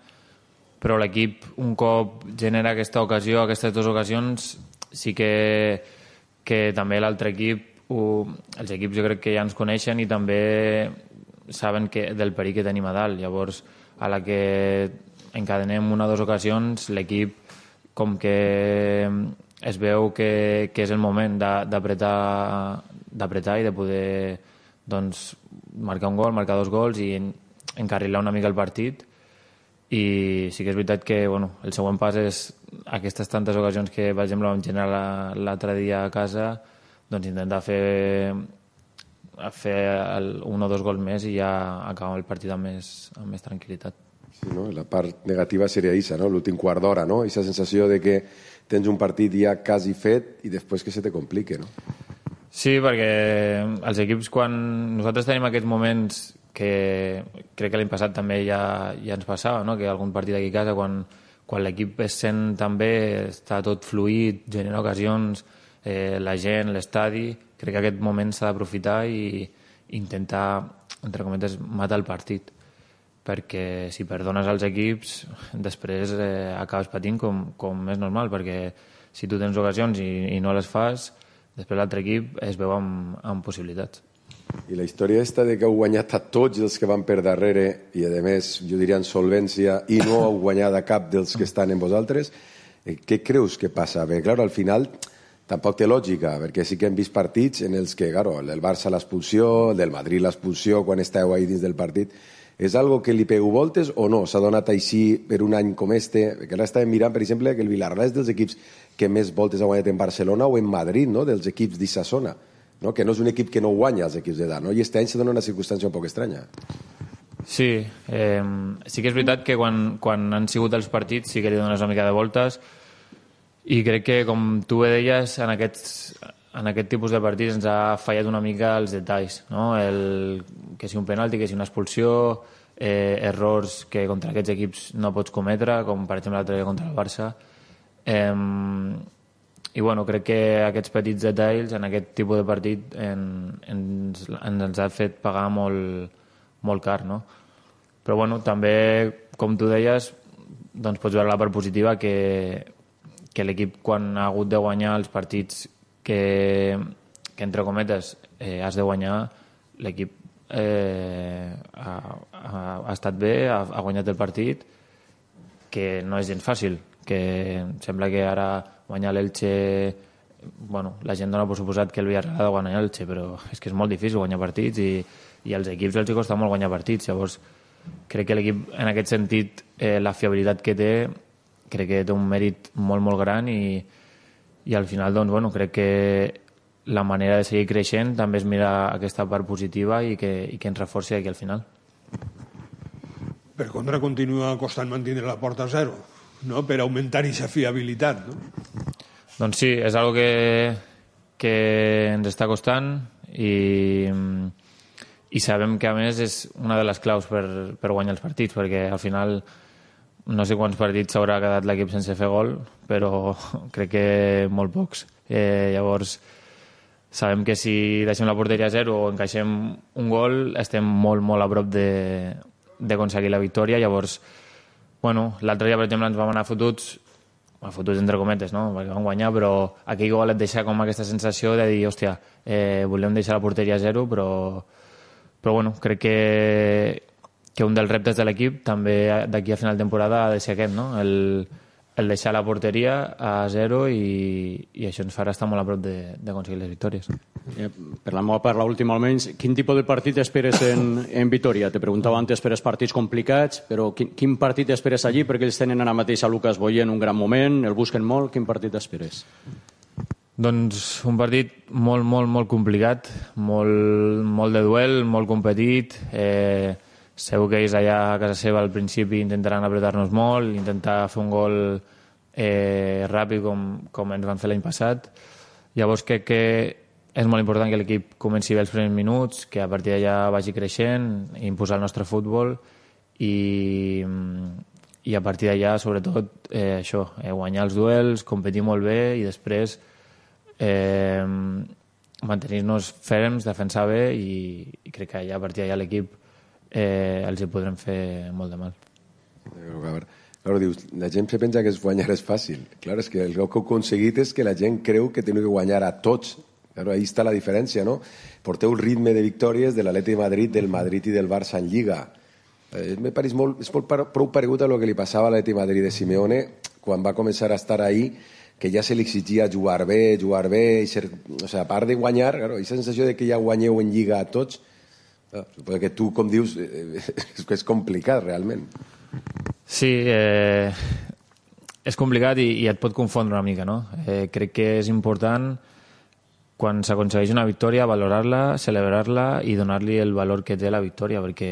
però l'equip un cop genera aquesta ocasió, aquestes dues ocasions, sí que, que també l'altre equip, ho, els equips jo crec que ja ens coneixen i també saben que, del perill que tenim a dalt. Llavors, a la que encadenem una o dues ocasions, l'equip com que es veu que, que és el moment d'apretar d'apretar i de poder doncs, marcar un gol, marcar dos gols i encarrilar una mica el partit. I sí que és veritat que bueno, el següent pas és aquestes tantes ocasions que, per exemple, vam generar l'altre dia a casa, doncs intentar fer, fer el, un o dos gols més i ja acabar el partit amb més, amb més tranquil·litat. Sí, no? La part negativa seria aquesta, no? L'últim quart d'hora, no? Aquesta sensació de que tens un partit ja quasi fet i després que se te complique, no? Sí, perquè els equips, quan nosaltres tenim aquests moments que crec que l'any passat també ja, ja ens passava, no? Que algun partit aquí a casa, quan, quan l'equip es sent tan bé, està tot fluït, genera ocasions, eh, la gent, l'estadi, crec que aquest moment s'ha d'aprofitar i intentar, entre cometes, matar el partit, perquè si perdones als equips, després eh, acabes patint com, com és normal, perquè si tu tens ocasions i, i no les fas, després l'altre equip es veu amb, amb possibilitats. I la història esta de que heu guanyat a tots els que van per darrere i, a més, jo diria en solvència, i no heu guanyat a cap dels que estan en vosaltres, eh, què creus que passa? Bé, clar, al final tampoc té lògica, perquè sí que hem vist partits en els que, claro, el del Barça l'expulsió, el del Madrid l'expulsió, quan esteu ahí dins del partit, és algo que li pegu voltes o no? S'ha donat així per un any com este? Perquè ara estàvem mirant, per exemple, que el Villarreal és dels equips que més voltes ha guanyat en Barcelona o en Madrid, no? Dels equips d'Issa zona, no? Que no és un equip que no guanya els equips d'edat, no? I este any se dona una circumstància un poc estranya. Sí, eh, sí que és veritat que quan, quan han sigut els partits sí que li dones una mica de voltes i crec que, com tu bé deies, en aquests, en aquest tipus de partits ens ha fallat una mica els detalls, no? El, que si un penalti, que si una expulsió, eh, errors que contra aquests equips no pots cometre, com per exemple l'altre dia contra el Barça. Eh, I bueno, crec que aquests petits detalls en aquest tipus de partit en, ens, ens ha fet pagar molt, molt car, no? Però bueno, també, com tu deies, doncs pots veure la part positiva que, que l'equip, quan ha hagut de guanyar els partits que, que entre cometes, eh, has de guanyar, l'equip eh, ha, ha, ha estat bé, ha, ha guanyat el partit, que no és gens fàcil, que sembla que ara guanyar l'Elche, bueno, la gent dona per suposat que el Villarreal ha de guanyar l'Elche, però és que és molt difícil guanyar partits i, i als equips els costa molt guanyar partits. Llavors crec que l'equip, en aquest sentit, eh, la fiabilitat que té, crec que té un mèrit molt, molt gran i, i al final, doncs, bueno, crec que la manera de seguir creixent també és mirar aquesta part positiva i que, i que ens reforci aquí al final. Per contra, continua costant mantenir la porta a zero, no? Per augmentar aquesta fiabilitat, no? Doncs sí, és algo que, que ens està costant i, i sabem que, a més, és una de les claus per, per guanyar els partits, perquè al final no sé quants partits s'haurà quedat l'equip sense fer gol, però crec que molt pocs. Eh, llavors, sabem que si deixem la porteria a zero o encaixem un gol, estem molt, molt a prop de, d'aconseguir la victòria. Llavors, bueno, l'altre dia, per exemple, ens vam anar fotuts, fotuts entre cometes, no? Perquè vam guanyar, però aquell gol et deixa com aquesta sensació de dir, hòstia, eh, volem deixar la porteria a zero, però, però bueno, crec que que un dels reptes de l'equip també d'aquí a final de temporada ha de ser aquest, no? El, el deixar la porteria a zero i, i això ens farà estar molt a prop d'aconseguir les victòries. Eh, per la meva part, l'última almenys, quin tipus de partit esperes en, en Vitoria? Te preguntava antes per els partits complicats, però quin, quin partit esperes allí? Perquè ells tenen ara mateix a Lucas Boyer en un gran moment, el busquen molt, quin partit esperes? Doncs un partit molt, molt, molt complicat, molt, molt de duel, molt competit, eh, segur que ells allà a casa seva al principi intentaran apretar-nos molt, intentar fer un gol eh, ràpid com, com ens van fer l'any passat. Llavors crec que és molt important que l'equip comenci bé els primers minuts, que a partir d'allà vagi creixent, imposar el nostre futbol i, i a partir d'allà, sobretot, eh, això, eh, guanyar els duels, competir molt bé i després eh, mantenir-nos ferms, defensar bé i, i crec que allà, a partir d'allà l'equip Eh, els hi podrem fer molt de mal. Claro, dius, la gent se pensa que es guanyar és fàcil. Claro, és que el que heu aconseguit és que la gent creu que teniu que guanyar a tots. Claro, ahí està la diferència, no? Porteu el ritme de victòries de l'Atleti de Madrid, del Madrid i del Barça en Lliga. Eh, me pareix molt, és molt prou paregut a lo que li passava a l'Atleti de Madrid de Simeone quan va començar a estar ahí, que ja se li exigia jugar bé, jugar bé, i ser, o sea, a part de guanyar, claro, aquesta sensació de que ja guanyeu en Lliga a tots, suposo que tu, com dius, és complicat realment. Sí, eh, és complicat i, i et pot confondre una mica, no? Eh, crec que és important, quan s'aconsegueix una victòria, valorar-la, celebrar-la i donar-li el valor que té la victòria, perquè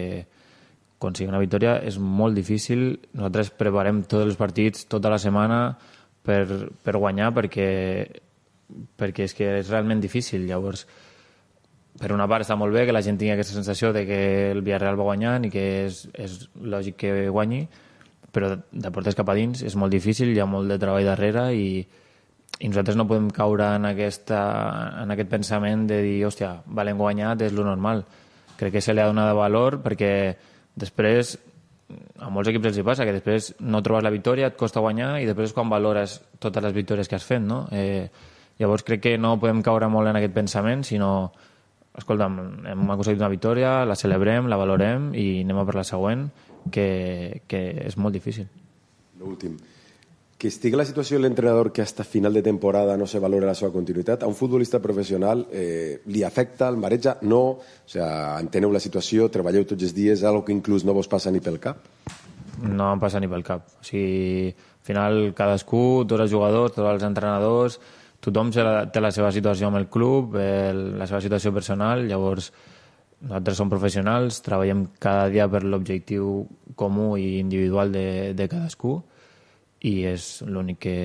aconseguir una victòria és molt difícil. Nosaltres preparem tots els partits tota la setmana per, per guanyar, perquè, perquè és que és realment difícil. Llavors, per una part està molt bé que la gent tingui aquesta sensació de que el Villarreal va guanyant i que és, és lògic que guanyi, però de portes cap a dins és molt difícil, hi ha molt de treball darrere i, i nosaltres no podem caure en, aquesta, en aquest pensament de dir, hòstia, valem guanyat, és lo normal. Crec que se li ha donat valor perquè després, a molts equips els hi passa, que després no trobes la victòria, et costa guanyar i després és quan valores totes les victòries que has fet, no? Eh, llavors crec que no podem caure molt en aquest pensament, sinó, escolta'm, hem aconseguit una victòria, la celebrem, la valorem i anem a per la següent, que, que és molt difícil. L'últim. Que estigui la situació de l'entrenador que hasta final de temporada no se valora la seva continuïtat, a un futbolista professional eh, li afecta, el mareja? No? O sea, enteneu la situació, treballeu tots els dies, algo que inclús no vos passa ni pel cap? No em passa ni pel cap. O sigui, al final cadascú, tots els jugadors, tots els entrenadors, tothom té la seva situació amb el club, el, la seva situació personal, llavors nosaltres som professionals, treballem cada dia per l'objectiu comú i individual de, de cadascú i és l'únic que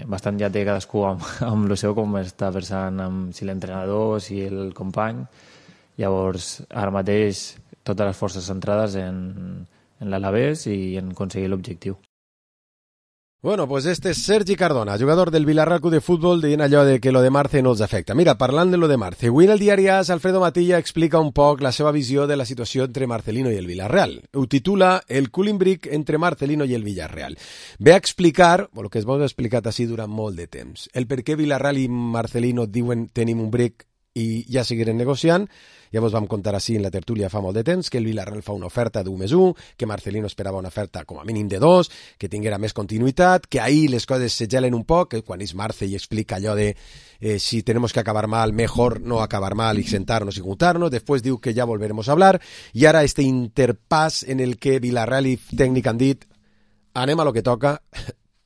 bastant ja té cadascú amb, amb el seu, com està pensant amb si l'entrenador, si el company. Llavors, ara mateix, totes les forces centrades en, en l'Alavés i en aconseguir l'objectiu. Bueno, pues este es Sergi Cardona, jugador del Villarreal Club de Fútbol, dient allò de que lo de Marce no els afecta. Mira, parlant de lo de Marce, avui en el diari AS, Alfredo Matilla explica un poc la seva visió de la situació entre Marcelino i el Villarreal. Ho titula El cooling break entre Marcelino i el Villarreal. Ve a explicar, o el que es vos ha explicat així durant molt de temps, el per què Villarreal i Marcelino diuen tenim un break i ja seguirem negociant. Ja vos vam contar així en la tertúlia fa molt de temps que el Villarreal fa una oferta d'un més un, que Marcelino esperava una oferta com a mínim de dos, que tinguera més continuïtat, que ahir les coses se gelen un poc, que quan és Marce i explica allò de eh, si tenemos que acabar mal, mejor no acabar mal y sentarnos y juntarnos, después diu que ya volveremos a hablar, i ara este interpàs en el que Villarreal i tècnic han dit anem a lo que toca,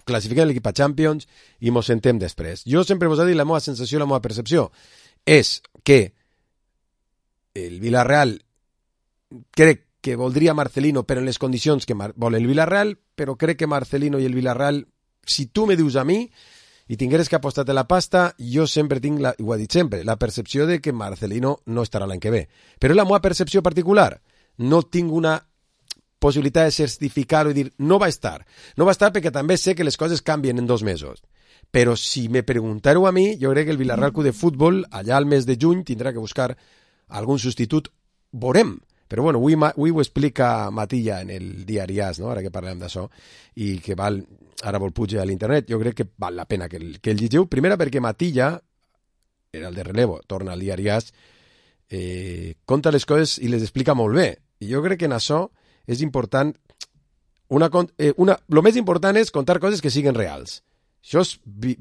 classifiquem l'equip a Champions i mos sentem després. Jo sempre vos he dit la meva sensació, la meva percepció, és que el Villarreal crec que voldria Marcelino però en les condicions que Mar- vol el Villarreal, però crec que Marcelino i el Villarreal, si tu me dius a mi i tingueres que apostar-te la pasta, jo sempre tinc, la, ho he dit sempre, la percepció de que Marcelino no estarà l'any que ve. Però la meva percepció particular, no tinc una possibilitat de certificar-ho i dir no va estar. No va estar perquè també sé que les coses canvien en dos mesos. Però si me preguntareu a mi, jo crec que el Villarreal Club de Fútbol allà al mes de juny tindrà que buscar algun substitut, veurem. Però bueno, avui, avui ho explica Matilla en el diari AS, no? Ara que parlem d'això, i que val, ara vol pujar a l'internet, jo crec que val la pena que el, que el llegiu. Primera perquè Matilla, era el de relevo, torna al diari AS, eh, conta les coses i les explica molt bé. I jo crec que en això és important, una, eh, una, lo més important és contar coses que siguin reals. Això és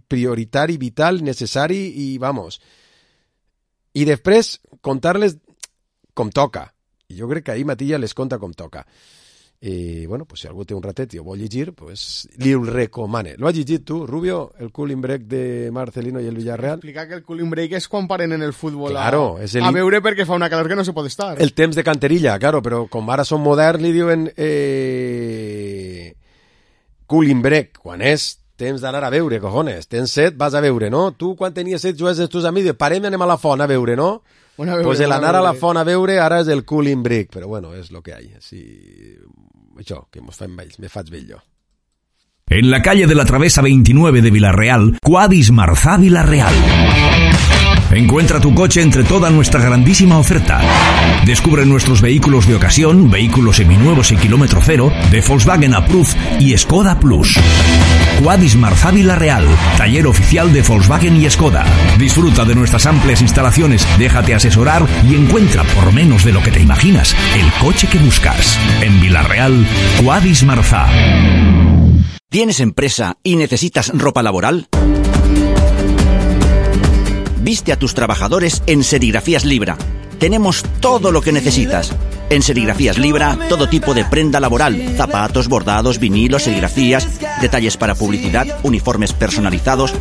prioritari, vital, necessari i, vamos... I després contar-les com toca. I jo crec que ahir Matilla les conta com toca. I, bueno, pues si algú té un ratet i ho vol llegir, pues li ho recomane. Lo has llegit tu, Rubio, el cooling break de Marcelino i el Villarreal? Explica que el cooling break és quan paren en el futbol claro, a, és el... a veure perquè fa una calor que no se pot estar. El temps de canterilla, claro, però com ara són moderns li diuen eh... cooling break, quan és temps d'anar a veure, cojones. Tens set, vas a veure, no? Tu, quan tenies set, jugues els teus amics, parem i anem a la font a veure, no? Bueno, veure, pues el anar a la font a veure ara és el cooling break, però bueno, és lo que hay. Així... Això, que mos fem vells, me faig vell jo. En la calle de la Travesa veintinueve de Villarreal, Quadis Marzá Villarreal. Encuentra tu coche entre toda nuestra grandísima oferta. Descubre nuestros vehículos de ocasión, vehículos seminuevos y kilómetro cero, de Volkswagen Approved y Skoda Plus. Quadis Marzá Villarreal, taller oficial de Volkswagen y Skoda. Disfruta de nuestras amplias instalaciones, déjate asesorar y encuentra por menos de lo que te imaginas el coche que buscas. En Villarreal, Quadis Marzá. ¿Tienes empresa y necesitas ropa laboral? Viste a tus trabajadores en Serigrafías Libra. Tenemos todo lo que necesitas. En Serigrafías Libra, todo tipo de prenda laboral, zapatos, bordados, vinilos, serigrafías, detalles para publicidad, uniformes personalizados.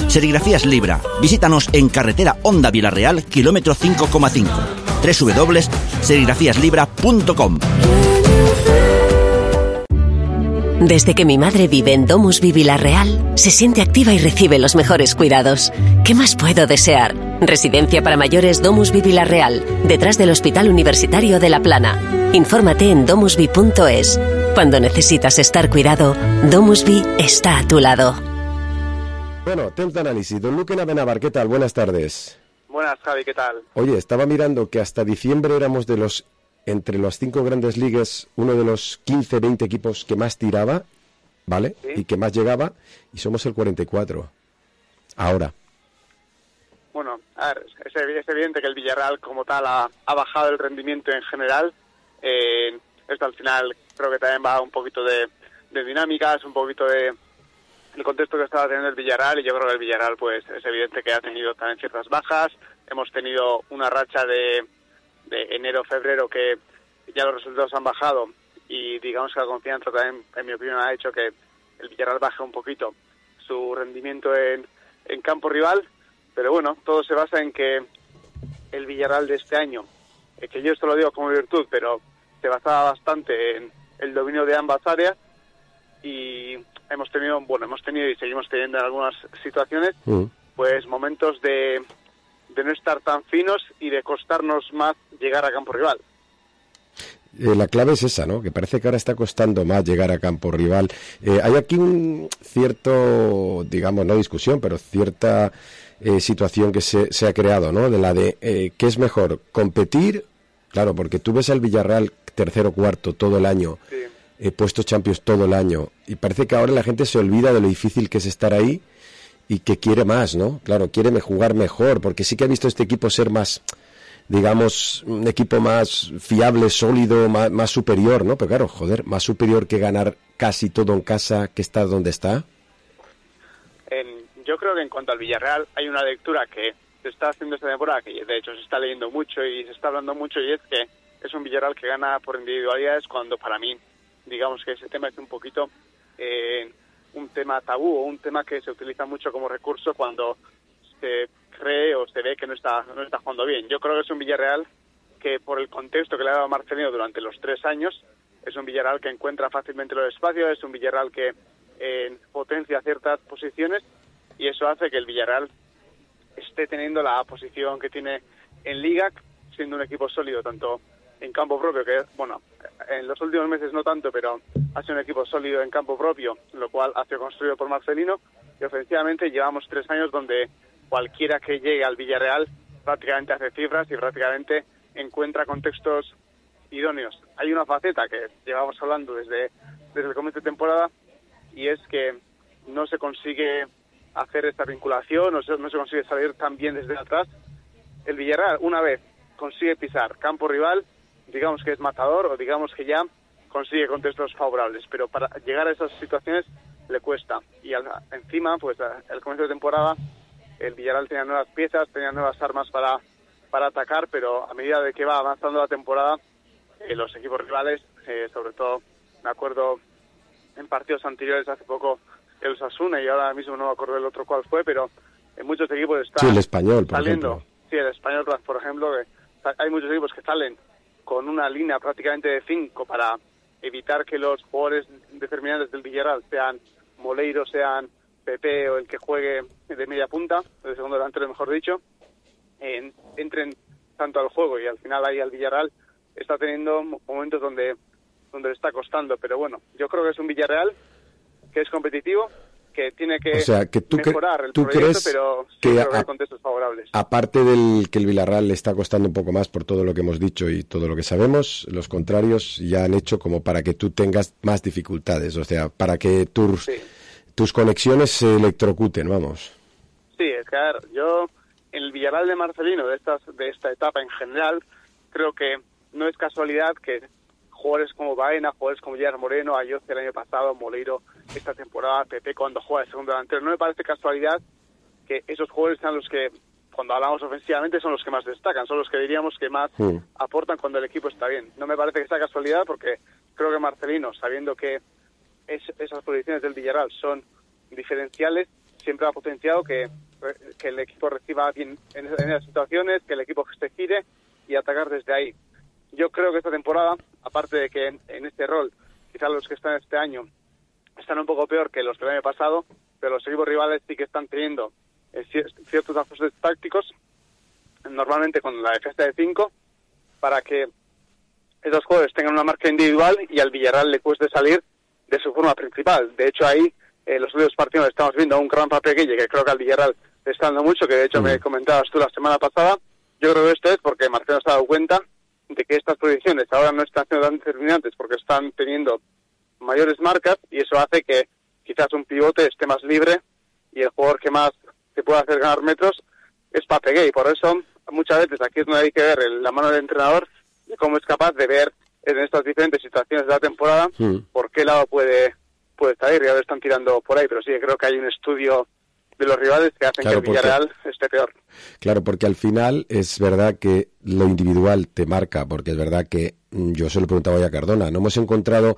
Serigrafías Libra. Visítanos en carretera Honda Vilarreal, kilómetro cinco coma cinco. doble u doble u doble u punto serigrafías libra punto com. Desde que mi madre vive en Domusvi Vilarreal, se siente activa y recibe los mejores cuidados. ¿Qué más puedo desear? Residencia para mayores Domusvi Vilarreal, detrás del Hospital Universitario de La Plana. Infórmate en domusvi punto es. Cuando necesitas estar cuidado, Domusvi está a tu lado. Bueno, temps d'análisis. Don Luque Navenavar, ¿qué tal? Buenas tardes. Buenas, Javi, ¿qué tal? Oye, estaba mirando que hasta diciembre éramos de los, entre las cinco grandes ligas, uno de los quince, veinte equipos que más tiraba, ¿vale? ¿Sí? Y que más llegaba, y somos el cuarenta y cuatro. Ahora. Bueno, a ver, es, es evidente que el Villarreal como tal ha, ha bajado el rendimiento en general. Eh, esto al final creo que también va un poquito de, de dinámicas, un poquito de el contexto que estaba teniendo el Villarreal, y yo creo que el Villarreal pues es evidente que ha tenido también ciertas bajas. Hemos tenido una racha de, de enero-febrero que ya los resultados han bajado, y digamos que la confianza también, en mi opinión, ha hecho que el Villarreal baje un poquito su rendimiento en, en campo rival. Pero bueno, todo se basa en que el Villarreal de este año, eh, que yo esto lo digo como virtud, pero se basaba bastante en el dominio de ambas áreas, y hemos tenido, bueno, hemos tenido y seguimos teniendo en algunas situaciones, mm. pues momentos de, de no estar tan finos y de costarnos más llegar a campo rival. Eh, la clave es esa, ¿no? Que parece que ahora está costando más llegar a campo rival. Eh, hay aquí un cierto, digamos, no discusión, pero cierta eh, situación que se, se ha creado, ¿no? De la de, eh, ¿qué es mejor? ¿Competir? Claro, porque tú ves al Villarreal tercero, cuarto todo el año, sí. eh, puestos Champions todo el año, y parece que ahora la gente se olvida de lo difícil que es estar ahí y que quiere más, ¿no? Claro, quiere jugar mejor, porque sí que ha visto este equipo ser más, digamos, un equipo más fiable, sólido, más, más superior, ¿no? Pero claro, joder, más superior que ganar casi todo en casa, que está donde está. En, yo creo que en cuanto al Villarreal hay una lectura que se está haciendo esta temporada, que de hecho se está leyendo mucho y se está hablando mucho, y es que es un Villarreal que gana por individualidades, cuando para mí, digamos que ese tema es un poquito eh, un tema tabú, o un tema que se utiliza mucho como recurso cuando se cree o se ve que no está no está jugando bien. Yo creo que es un Villarreal que, por el contexto que le ha dado Marcelino durante los tres años, es un Villarreal que encuentra fácilmente los espacios, es un Villarreal que eh, potencia ciertas posiciones, y eso hace que el Villarreal esté teniendo la posición que tiene en Liga, siendo un equipo sólido tanto en campo propio, que bueno, en los últimos meses no tanto, pero ha sido un equipo sólido en campo propio, lo cual ha sido construido por Marcelino, y ofensivamente llevamos tres años donde cualquiera que llegue al Villarreal prácticamente hace cifras y prácticamente encuentra contextos idóneos. Hay una faceta que llevamos hablando desde, desde el comienzo de temporada, y es que no se consigue hacer esta vinculación, no se, no se consigue salir tan bien desde atrás. El Villarreal, una vez consigue pisar campo rival, digamos que es matador, o digamos que ya consigue contextos favorables, pero para llegar a esas situaciones le cuesta. Y al, encima, pues al comienzo de temporada, el Villarreal tenía nuevas piezas, tenía nuevas armas para, para atacar, pero a medida de que va avanzando la temporada, eh, los equipos rivales, eh, sobre todo, me acuerdo en partidos anteriores, hace poco el Osasuna, y ahora mismo no me acuerdo el otro cuál fue, pero en muchos equipos están sí, el Español, por saliendo. Ejemplo. Sí, el Español, por ejemplo, que hay muchos equipos que salen con una línea prácticamente de cinco para evitar que los jugadores determinantes del Villarreal, sean Moleiro, sean Pepe o el que juegue de media punta, de segundo delantero mejor dicho, en, entren tanto al juego, y al final ahí al Villarreal está teniendo momentos donde, donde le está costando. Pero bueno, yo creo que es un Villarreal que es competitivo, que tiene que, o sea, que tú mejorar cre- el ¿tú proyecto, crees pero sí que creo que a- hay contextos favorables. Aparte del que el Villarreal le está costando un poco más por todo lo que hemos dicho y todo lo que sabemos, los contrarios ya han hecho como para que tú tengas más dificultades, o sea, para que tus, Sí. tus conexiones se electrocuten, vamos. Sí, es que a ver, yo en el Villarreal de Marcelino, de, estas, de esta etapa en general, creo que no es casualidad que jugadores como Baena, jugadores como Gerard Moreno, Ayoce el año pasado, Moleiro esta temporada, Pepe cuando juega de segundo delantero, no me parece casualidad que esos jugadores sean los que cuando hablamos ofensivamente son los que más destacan, son los que diríamos que más Mm. aportan cuando el equipo está bien. No me parece que sea casualidad porque creo que Marcelino, sabiendo que es, esas posiciones del Villarreal son diferenciales, siempre ha potenciado que, que el equipo reciba bien en, en esas situaciones, que el equipo se gire y atacar desde ahí. Yo creo que esta temporada, aparte de que en, en este rol, quizás los que están este año están un poco peor que los del año pasado, pero los equipos rivales sí que están teniendo eh, ciertos ajustes tácticos, normalmente con la defensa de cinco, para que esos jugadores tengan una marca individual y al Villarreal le cueste salir de su forma principal. De hecho, ahí, en eh, los últimos partidos estamos viendo un gran Papeguille, que creo que al Villarreal le está dando mucho, que de hecho mm. me comentabas tú la semana pasada. Yo creo que esto es porque Marcelo se ha dado cuenta de que estas posiciones ahora no están siendo tan determinantes porque están teniendo mayores marcas y eso hace que quizás un pivote esté más libre y el jugador que más se puede hacer ganar metros es Papeguille. Y por eso muchas veces aquí es donde hay que ver el, la mano del entrenador y cómo es capaz de ver en estas diferentes situaciones de la temporada mm. por qué lado puede, puede salir. Y ahora están tirando por ahí, pero sí creo que hay un estudio de los rivales que hacen claro, que el Villarreal porque, esté peor. Claro, porque al final es verdad que lo individual te marca, porque es verdad que yo se lo preguntaba ya a Cardona, no hemos encontrado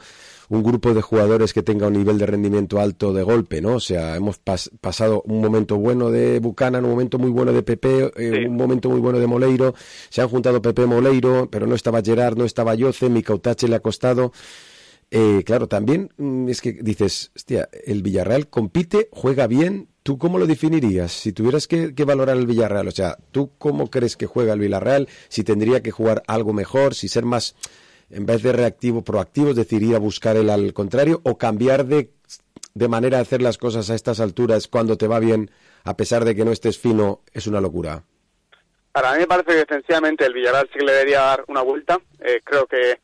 un grupo de jugadores que tenga un nivel de rendimiento alto de golpe, ¿no? O sea, hemos pas, pasado un momento bueno de Buchanan, un momento muy bueno de Pepe, eh, sí. un momento muy bueno de Moleiro, se han juntado Pepe y Moleiro, pero no estaba Gerard, no estaba Yoce, Micautache le ha costado. Eh, claro, también es que dices, hostia, el Villarreal compite, juega bien. ¿Tú cómo lo definirías? Si tuvieras que, que valorar el Villarreal, o sea, ¿tú cómo crees que juega el Villarreal? Si tendría que jugar algo mejor, si ser más, en vez de reactivo, proactivo, es decir, ir a buscar el al contrario, o cambiar de, de manera de hacer las cosas a estas alturas cuando te va bien, a pesar de que no estés fino, es una locura. Para mí me parece que defensivamente el Villarreal sí que le debería dar una vuelta. Eh, creo que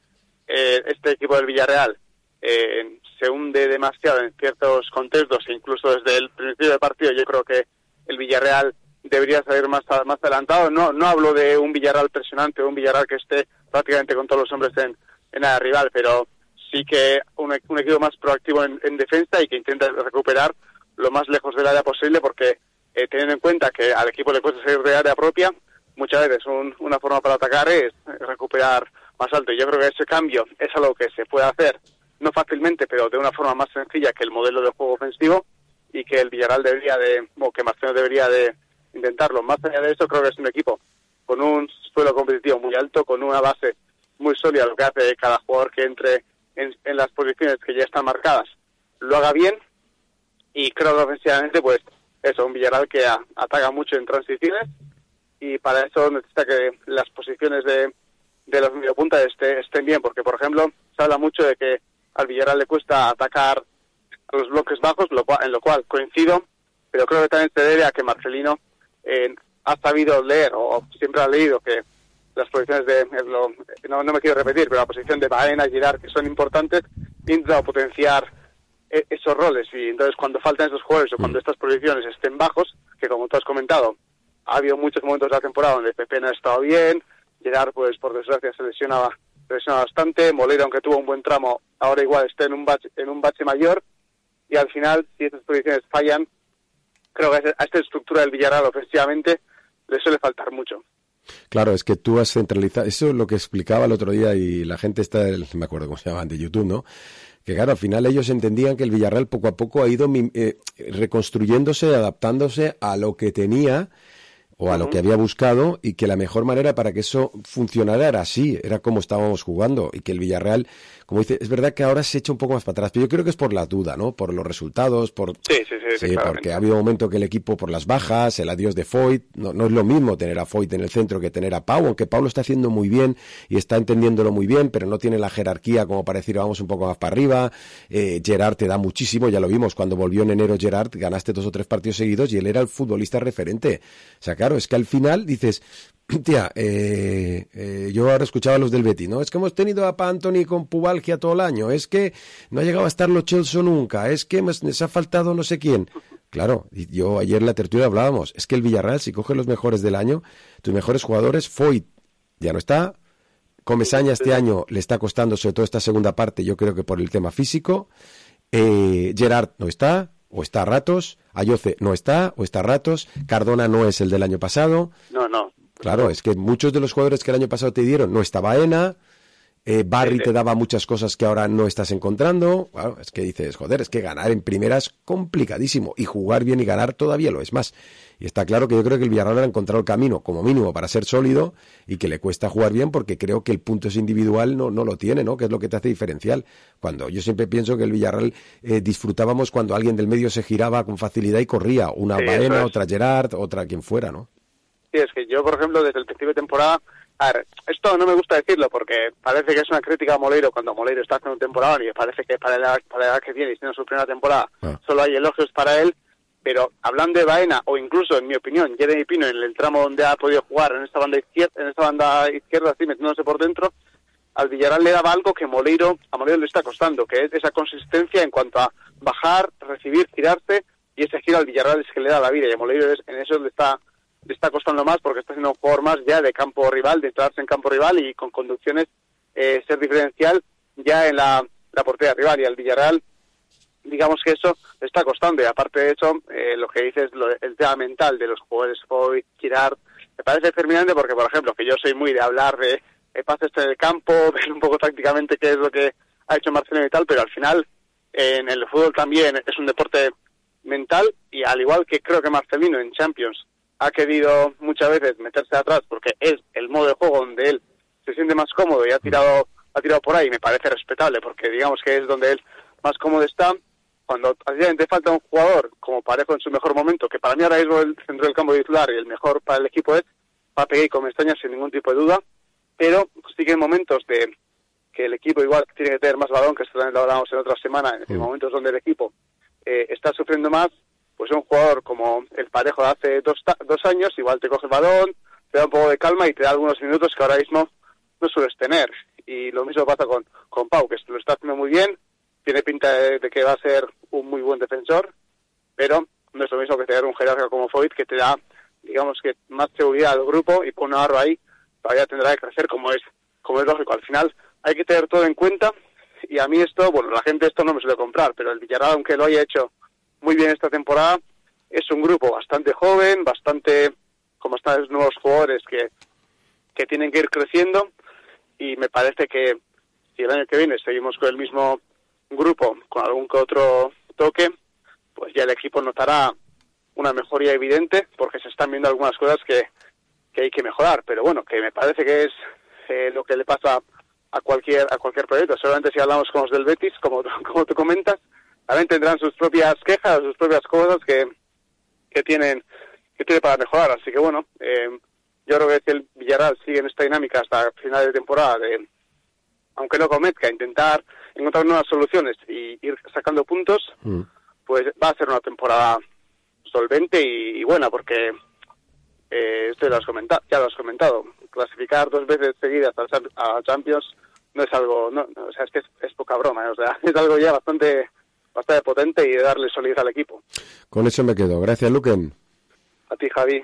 eh, este equipo del Villarreal eh, se hunde demasiado en ciertos contextos, incluso desde el principio del partido yo creo que el Villarreal debería salir más más adelantado. No no hablo de un Villarreal presionante, un Villarreal que esté prácticamente con todos los hombres en, en área rival, pero sí que un, un equipo más proactivo en, en defensa y que intente recuperar lo más lejos del área posible, porque eh, teniendo en cuenta que al equipo le cuesta salir de área propia, muchas veces un, una forma para atacar es recuperar más alto. Y yo creo que ese cambio es algo que se puede hacer no fácilmente, pero de una forma más sencilla que el modelo de juego ofensivo, y que el Villarreal debería de, o que Marcelo debería de intentarlo. Más allá de eso, creo que es un equipo con un suelo competitivo muy alto, con una base muy sólida, lo que hace que cada jugador que entre en, en las posiciones que ya están marcadas lo haga bien, y creo que ofensivamente, pues, eso, un Villarreal que a, ataca mucho en transiciones, y para eso necesita que las posiciones de, de los mediopuntas este, estén bien, porque, por ejemplo, se habla mucho de que al Villarreal le cuesta atacar a los bloques bajos, lo cual, en lo cual coincido, pero creo que también se debe a que Marcelino eh, ha sabido leer, o siempre ha leído, que las posiciones de, lo, no, no me quiero repetir, pero la posición de Baena y Girard, que son importantes, intenta potenciar eh, esos roles, y entonces cuando faltan esos jugadores o cuando estas posiciones estén bajos, que como tú has comentado, ha habido muchos momentos de la temporada donde Pepe no ha estado bien, Girard, pues por desgracia se lesionaba presiona bastante, Moleiro, aunque tuvo un buen tramo, ahora igual está en un bache, en un bache mayor, y al final, si estas posiciones fallan, creo que a esta estructura del Villarreal ofensivamente le suele faltar mucho. Claro, es que tú has centralizado, eso es lo que explicaba el otro día, y la gente está, me acuerdo cómo se llamaban, de YouTube, ¿no? Que claro, al final ellos entendían que el Villarreal poco a poco ha ido eh, reconstruyéndose, adaptándose a lo que tenía, o a lo que había buscado, y que la mejor manera para que eso funcionara era así, era como estábamos jugando, y que el Villarreal, como dice, es verdad que ahora se echa un poco más para atrás, pero yo creo que es por la duda, ¿no? Por los resultados, por sí, sí, sí, sí porque ha habido un momento que el equipo, por las bajas, el adiós de Foyt, no, no es lo mismo tener a Foyt en el centro que tener a Pau, aunque Pau lo está haciendo muy bien y está entendiéndolo muy bien, pero no tiene la jerarquía como para decir vamos un poco más para arriba. eh, Gerard te da muchísimo, ya lo vimos cuando volvió en enero Gerard, ganaste dos o tres partidos seguidos y él era el futbolista referente. O sea, claro, es que al final dices, tía, eh, eh, yo ahora escuchaba a los del Betis, ¿no? Es que hemos tenido a Pa Antoni con pubalgia todo el año, es que no ha llegado a estar Lo Celso nunca, es que nos ha faltado no sé quién. Claro, y yo ayer en la tertulia hablábamos, es que el Villarreal, si coge los mejores del año, tus mejores jugadores, Foyt ya no está, Comesaña este año le está costando, sobre todo esta segunda parte, yo creo que por el tema físico, eh, Gerard no está, o está a ratos, Ayoce no está, o está a ratos, Cardona no es el del año pasado. No, no. Claro, es que muchos de los jugadores que el año pasado te dieron, no estaba Baena, eh, Barry sí, sí. te daba muchas cosas que ahora no estás encontrando. Claro, es que dices, joder, es que ganar en primera es complicadísimo, y jugar bien y ganar todavía lo es más. Y está claro que yo creo que el Villarreal ha encontrado el camino, como mínimo, para ser sólido, y que le cuesta jugar bien, porque creo que el punto es individual no, no lo tiene, ¿no? Que es lo que te hace diferencial. Cuando yo siempre pienso que el Villarreal eh, disfrutábamos cuando alguien del medio se giraba con facilidad y corría, una sí, Baena, otra Gerard, otra quien fuera, ¿no? Sí, es que yo, por ejemplo, desde el principio de temporada, a ver, esto no me gusta decirlo porque parece que es una crítica a Moleiro cuando Moleiro está haciendo un temporada y parece que para la, para la edad que tiene y siendo su primera temporada ah. solo hay elogios para él, pero hablando de Baena o incluso, en mi opinión, Jeremy Pino en el tramo donde ha podido jugar en esta banda izquierda, en esta banda izquierda así metiéndose por dentro, al Villarreal le daba algo que Moleiro, a Moleiro le está costando, que es esa consistencia en cuanto a bajar, recibir, girarse, y ese giro al Villarreal es que le da la vida, y a Moleiro es, en eso le está le está costando más porque está siendo un jugador más ya de campo rival, de entrarse en campo rival y con conducciones eh, ser diferencial ya en la, la portería rival, y al Villarreal digamos que eso le está costando, y aparte de eso eh, lo que dices, lo, el tema mental de los jugadores hoy, girar, me parece determinante porque, por ejemplo, que yo soy muy de hablar de, de pases en el campo, ver un poco tácticamente qué es lo que ha hecho Marcelino y tal, pero al final eh, en el fútbol también es un deporte mental, y al igual que creo que Marcelino en Champions ha querido muchas veces meterse atrás porque es el modo de juego donde él se siente más cómodo y ha tirado ha tirado por ahí, me parece respetable porque digamos que es donde él más cómodo está. Cuando te falta un jugador como Parejo en su mejor momento, que para mí ahora mismo el centro del campo titular y el mejor para el equipo es Pape y Comestaña sin ningún tipo de duda, pero sí que en momentos de que el equipo igual tiene que tener más balón, que esto también lo hablamos en otra semana, en momentos donde el equipo eh, está sufriendo más, pues un jugador como el Parejo de hace dos, dos años, igual te coge el balón, te da un poco de calma y te da algunos minutos que ahora mismo no sueles tener. Y lo mismo pasa con, con Pau, que lo está haciendo muy bien, tiene pinta de, de que va a ser un muy buen defensor, pero no es lo mismo que tener un jerarca como Foyt, que te da, digamos que más seguridad al grupo, y pone a Navarro ahí, todavía tendrá que crecer como es, como es lógico. Al final hay que tener todo en cuenta, y a mí esto, bueno, la gente esto no me suele comprar, pero el Villarreal, aunque lo haya hecho muy bien esta temporada, es un grupo bastante joven, bastante, como están los nuevos jugadores que, que tienen que ir creciendo, y me parece que si el año que viene seguimos con el mismo grupo, con algún que otro toque, pues ya el equipo notará una mejoría evidente, porque se están viendo algunas cosas que, que hay que mejorar, pero bueno, que me parece que es eh, lo que le pasa a cualquier a cualquier proyecto. Solamente si hablamos con los del Betis, como, como tú comentas, también tendrán sus propias quejas, sus propias cosas que, que tienen que tiene para mejorar. Así que bueno, eh, yo creo que si el Villarreal sigue en esta dinámica hasta final de temporada, de, aunque no comezca, intentar encontrar nuevas soluciones y ir sacando puntos, mm. pues va a ser una temporada solvente y, y buena, porque eh, esto ya lo has comentado, ya lo has comentado, clasificar dos veces seguidas a Champions no es algo, no, no, o sea, es que es, es poca broma, ¿eh? O sea, es algo ya bastante bastante potente y de darle solidez al equipo. Con eso me quedo. Gracias, Luquen. A ti, Javi.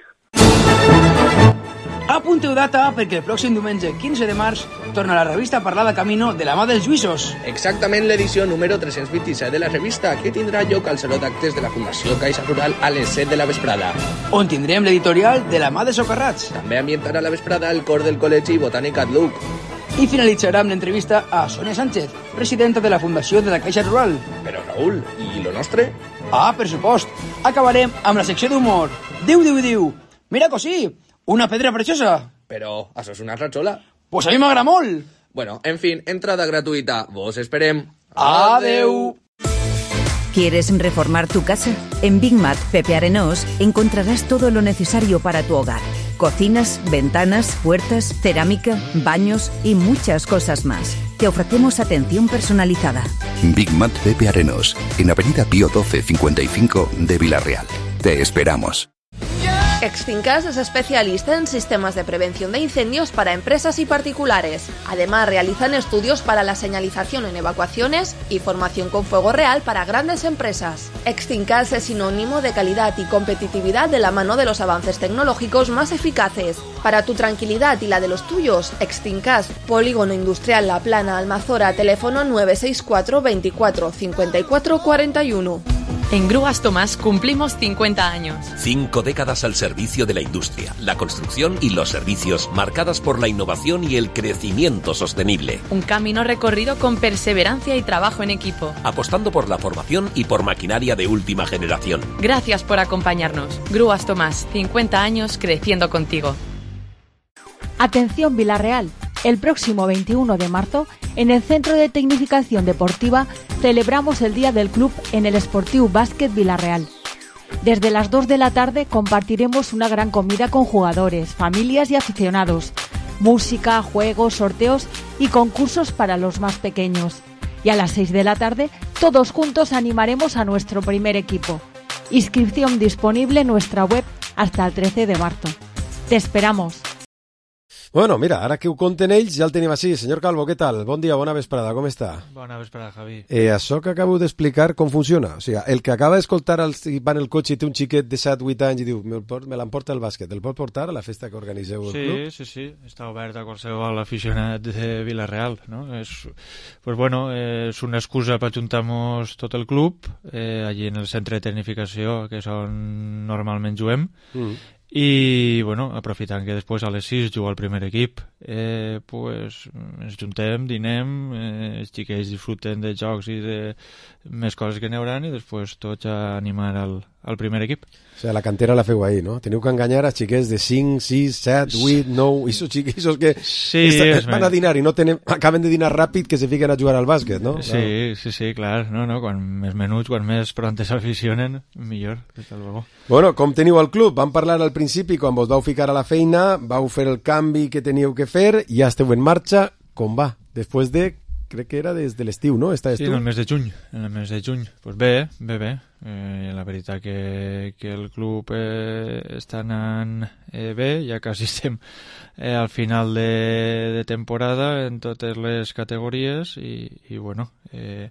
Apunteu data perquè el pròxim diumenge quinze de març torna la revista a parlar de Camino de la mà dels Lluïsos. Exactament l'edició número tres-cents vint-i-set de la revista, que tindrà lloc al Saló d'Actes de la Fundació Caixa Rural a les set de la vesprada. On tindrem l'editorial de la mà de Socarrats. També ambientarà la vesprada el cor del Col·legi Botànic Atluc. I finalitzarà amb l'entrevista a Sonia Sánchez, presidenta de la Fundació de la Caixa Rural. Però, Raül, i lo nostre? Ah, per supost. Acabarem amb la secció d'humor. Diu, diu, diu. Mira cosí, una pedra preciosa. Però, això és una ratxola. Pues a mi m'agrada molt. Bueno, en fin, entrada gratuïta. Vos esperem. Adeu. ¿Quieres reformar tu casa? En Big Mat Pepe Arenós encontrarás todo lo necesario para tu hogar. Cocinas, ventanas, puertas, cerámica, baños y muchas cosas más. Te ofrecemos atención personalizada. Big Mat Pepe Arenós, en Avenida Pío doce cincuenta y cinco de Villarreal. Te esperamos. Extincas es especialista en sistemas de prevención de incendios para empresas y particulares. Además, realizan estudios para la señalización en evacuaciones y formación con fuego real para grandes empresas. Extincas es sinónimo de calidad y competitividad de la mano de los avances tecnológicos más eficaces. Para tu tranquilidad y la de los tuyos, Extincas, Polígono Industrial La Plana, Almazora, teléfono nueve seis cuatro veinticuatro cincuenta y cuatro cuarenta y uno. En Grúas Tomás cumplimos cincuenta años. Cinco décadas al servicio de la industria, la construcción y los servicios, marcadas por la innovación y el crecimiento sostenible. Un camino recorrido con perseverancia y trabajo en equipo. Apostando por la formación y por maquinaria de última generación. Gracias por acompañarnos. Grúas Tomás, cincuenta años creciendo contigo. Atención Villarreal, el próximo veintiuno de marzo, en el Centro de Tecnificación Deportiva, celebramos el Día del Club en el Sportiu Bàsquet Villarreal. Desde las dos de la tarde compartiremos una gran comida con jugadores, familias y aficionados, música, juegos, sorteos y concursos para los más pequeños. Y a las seis de la tarde, todos juntos animaremos a nuestro primer equipo. Inscripción disponible en nuestra web hasta el trece de marzo. Te esperamos. Bueno, mira, ara que ho conten ells ja el tenim així. Senyor Calvo, què tal? Bon dia, bona vesprada, com està? Bona vesprada, Javi. Eh, això que acabo d'explicar, com funciona? O sigui, el que acaba d'escoltar el, va en el cotxe i té un xiquet de set vuit anys i diu me, me l'emporta el bàsquet, el pot portar a la festa que organiseu al sí, club? Sí, sí, sí, està obert a qualsevol aficionat de Vila-real, no? És, pues bueno, és una excusa per ajuntar-nos tot el club, eh, allí en el centre de tecnificació, que és on normalment juguem, mm. i bueno, aprofitant que després a les sis juga el primer equip, eh, pues, ens juntem, dinem, eh, els xiquets disfruten de jocs i de més coses que n'hi haurà i després tots a animar al, al primer equip. O sigui, la cantera la feu ahí, no? Teniu que enganyar a xiquets de cinc, sis, set, vuit, nou, esos xiquets que sí, estan, van a dinar i no tenen, acaben de dinar ràpid que se fiquen a jugar al bàsquet, no? Sí, claro. sí, sí, clar. No, no, quan més menuts, quan més prontes s'aficionen, millor, des de luego. Bueno, com teniu el club? Vam parlar al principi, quan vos vau ficar a la feina, vau fer el canvi que teníeu que fer, ja esteu en marxa. Com va? Després de, crec que era des de l'estiu, no? Estaves sí, tu? en el mes de juny. En el mes de juny. Pues bé, bé, bé. Eh, la veritat que, que el club eh, està anant eh, bé, ja quasi estem eh, al final de, de temporada en totes les categories i, i bueno, eh,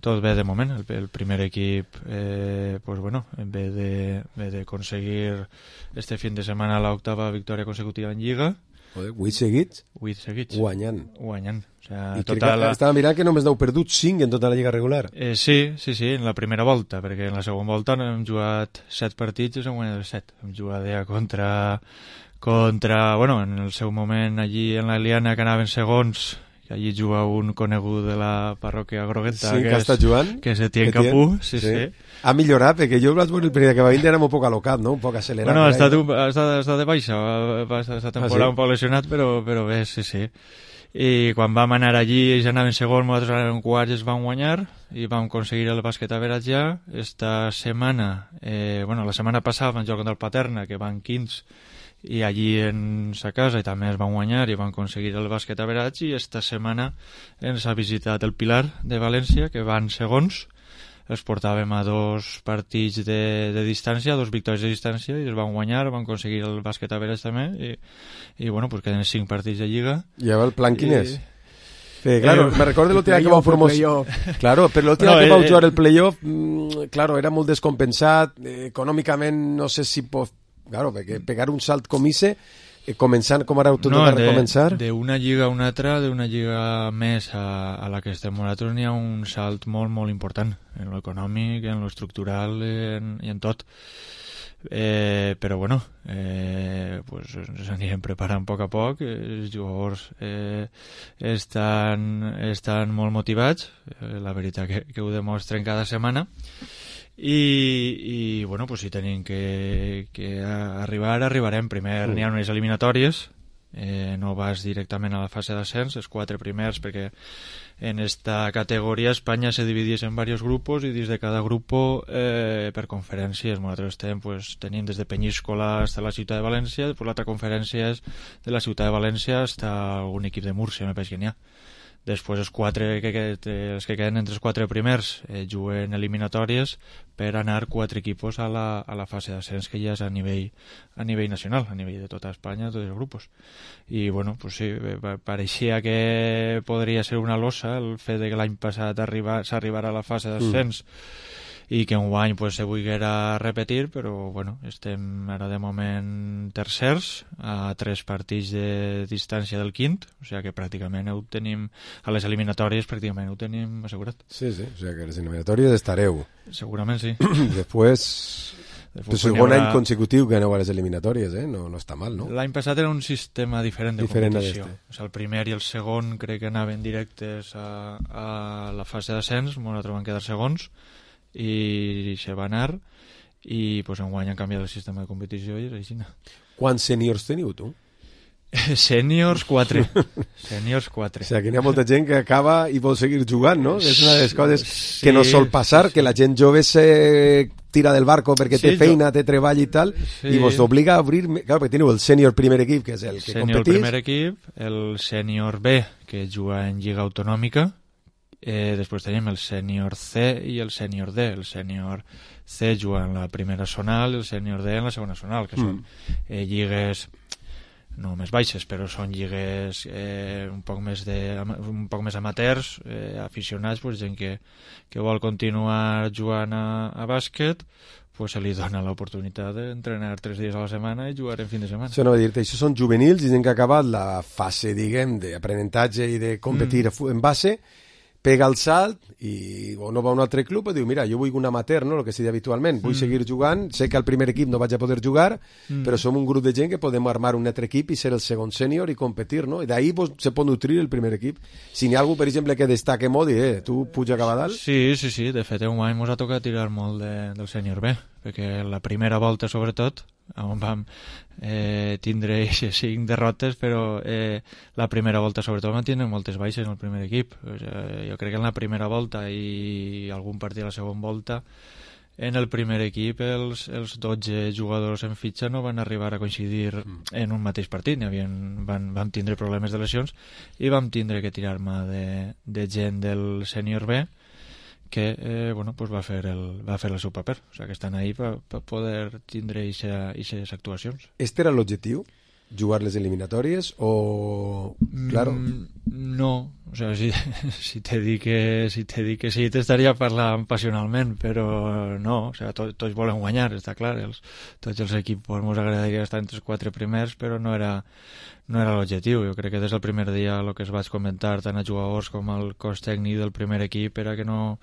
tot bé de moment. El, el primer equip eh, pues bueno, ve de, ve de conseguir este fin de setmana l'octava victòria consecutiva en Lliga. Joder, vuit seguits? Vuit seguits. Guanyant. Guanyant. O sea, I tota la... estava mirant que només n'heu perdut cinc en tota la lliga regular. Eh, sí, sí, sí, en la primera volta, perquè en la segona volta hem jugat set partits i hem guanyat els set. Hem jugat ja contra, contra, bueno, en el seu moment allí en la Liana que anaven segons, que allí juga un conegut de la parròquia Grogueta, sí, que, que està jugant, que se tien Capú, sí, sí, sí. Ha millorat, perquè jo vaig veure el primer que va vindre era un poc alocat, no? Un poc accelerat. Bueno, ha estat, un, ha estat, ha estat de baixa, va estar esta temporada ah, sí? un poc lesionat, però, però bé, sí, sí. I quan vam anar allí, ells anaven segon, nosaltres anàvem quarts, es van guanyar i vam aconseguir el bàsquet a Veratjà. Esta setmana, eh, bueno, la setmana passada vam jugar contra el Paterna, que van quinze, i allí en sa casa i també es van guanyar i van aconseguir el bàsquet a Veratx, i esta setmana ens ha visitat el Pilar de València, que van segons. Els portàvem a dos partits de, de distància, dos victòries de distància, i es van guanyar, van aconseguir el bàsquet a Veratx també, i, i bueno, pues queden cinc partits de Lliga. I el plan quin és? Sí, claro, eh, me recuerdo el último que vau promocionar. Claro, pero el último no, que vau eh, jugar el playoff, mmm, claro, era molt descompensat, eh, econòmicament no sé si pot... Claro, perquè pegar un salt com ese, eh, començant com ara ho tornem no, a recomençar... De, de una lliga a una altra, d'una lliga més a, a la que estem nosaltres, n'hi ha un salt molt, molt important, en lo econòmic, en lo estructural en, i en tot. Eh, però bueno, eh, pues ens anirem preparant a poc a poc. Els jugadors eh, estan, estan molt motivats, eh, la veritat que, que ho demostren cada setmana. I, i bueno, pues si tenim que, que arribar, arribarem. Primer mm. n'hi ha unes eliminatòries, eh, no vas directament a la fase d'ascens, els quatre primers, perquè en esta categoria Espanya se dividís en diversos grupos i dins de cada grupo eh, per conferències. Nosaltres estem, pues, tenim des de Penyíscola fins a la ciutat de València, després l'altra conferència és de la ciutat de València fins a un equip de Múrcia, me penso que n'hi ha. Després els quatre que, que, els que queden entre els quatre primers eh, juguen eliminatòries per anar quatre equipos a la, a la fase d'ascens, que ja és a nivell, a nivell nacional, a nivell de tota Espanya, tots els grups. I bueno, pues sí, pareixia que podria ser una losa el fet de que l'any passat s'arribara a la fase d'ascens mm. i que enguany pues, se volguera repetir, però bueno, estem ara de moment tercers a tres partits de distància del quint, o sigui que pràcticament ho tenim a les eliminatòries, pràcticament ho tenim assegurat. Sí, sí, o sigui que a les eliminatòries estareu. Segurament sí. Després... Després el segon haurà... any consecutiu que aneu a les eliminatòries, eh? No, no està mal, no? L'any passat era un sistema diferent de diferent competició. O sigui, el primer i el segon crec que anaven directes a, a la fase d'ascens, nosaltres vam quedar segons, i se va anar, i pues, enguany han canviat el sistema de competició i és així. Quants sèniors teniu, tu? Sèniors quatre. Sèniors quatre. O sigui, que hi ha molta gent que acaba i vol seguir jugant, no? És una de les coses sí, que no sol passar, sí, sí. Que la gent jove se tira del barco perquè té sí, feina, jo... té treball i tal, sí. I vos obliga a obrir... Clar, perquè teniu el sènior primer equip, que és el que sènior competís. Primer equip, el sènior B, que juga en Lliga Autonòmica, eh, després tenim el sènior C i el sènior D. El sènior C juga en la primera zonal i el sènior D en la segona zonal, que mm. són eh, lligues... no més baixes, però són lligues eh, un poc més de, un poc més amateurs, eh, aficionats, pues, gent que, que vol continuar jugant a, a bàsquet, pues se li dona l'oportunitat d'entrenar tres dies a la setmana i jugar en fin de setmana. Això no va dir-te, això són juvenils i gent que ha acabat la fase, diguem, d'aprenentatge i de competir mm. en base, pega el salt i o no va a un altre club i diu, mira, jo vull un amateur, no? El que se diu habitualment, vull mm. seguir jugant, sé que al primer equip no vaig a poder jugar, mm. però som un grup de gent que podem armar un altre equip i ser el segon sènior i competir, no? I d'ahir pues, se pot nutrir el primer equip. Si n'hi ha algú, per exemple, que destaque molt, eh, tu puja cap a dalt? Sí, sí, sí, de fet, un any ens ha tocat tirar molt de, del sènior B, perquè la primera volta, sobretot, on vam eh, tindre cinc derrotes, però eh, la primera volta sobretot van tindre moltes baixes en el primer equip. O sigui, jo crec que en la primera volta i algun partit a la segona volta en el primer equip els, els dotze jugadors en fitxa no van arribar a coincidir mm. en un mateix partit, n'hi havien, van, vam tindre problemes de lesions i vam tindre que tirar mà de, de gent del sènior B que eh, bueno, pues va, fer el, va fer el seu paper, o sigui que estan ahí per pa poder tindre aquestes actuacions. Este era l'objectiu? Jugar les eliminatòries o... Claro. Mm, no, o sea, si, si te dic que, si te dic que sí t'estaria parlant passionalment, però no, o sea, to, tots volen guanyar, està clar, els, tots els equips ens agradaria estar entre els quatre primers, però no era, no era l'objectiu. Jo crec que des del primer dia el que es vaig comentar tant a jugadors com al cos tècnic del primer equip era que no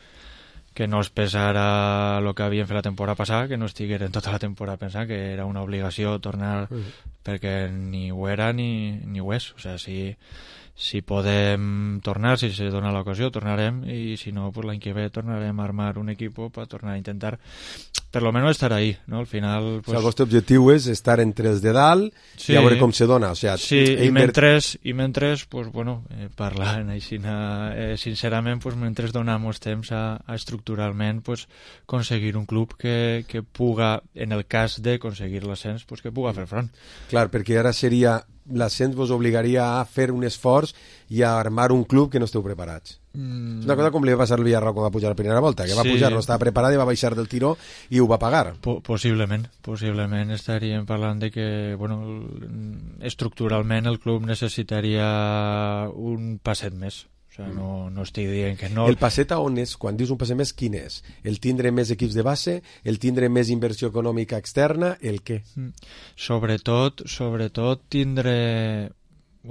que no es pesara el que havien fet la temporada passada, que no estigueren tota la temporada pensant que era una obligació tornar, uh-huh. perquè ni ho era ni, ni ho és. O sigui, si, si podem tornar, si se dona l'ocasió, tornarem, i si no, pues l'any que ve tornarem a armar un equip per tornar a intentar per lo menos estar ahí, ¿no? Al final... Pues... O sea, el vostre objectiu és estar entre els de dalt sí. i a veure com se dona. O sea, sí, i mentre, i mentre pues, bueno, eh, parlant així, eh, sincerament, pues, mentre donem temps a, a estructuralment pues, conseguir un club que, que puga, en el cas de conseguir l'ascens, pues, que puga fer front. Clar, perquè ara seria... l'ascens vos obligaria a fer un esforç i a armar un club que no esteu preparats. Mm. És una cosa com li va passar al Villarreal quan va pujar la primera volta, que va sí. pujar, no estava preparat i va baixar del tiró i ho va pagar. Po possiblement, possiblement estaríem parlant de que, bueno, estructuralment el club necessitaria un passet més. O sigui, no, no estic dient que no... El passet a on és? Quan dius un passet més, quin és? El tindre més equips de base? El tindre més inversió econòmica externa? El què? Sobretot, sobretot tindre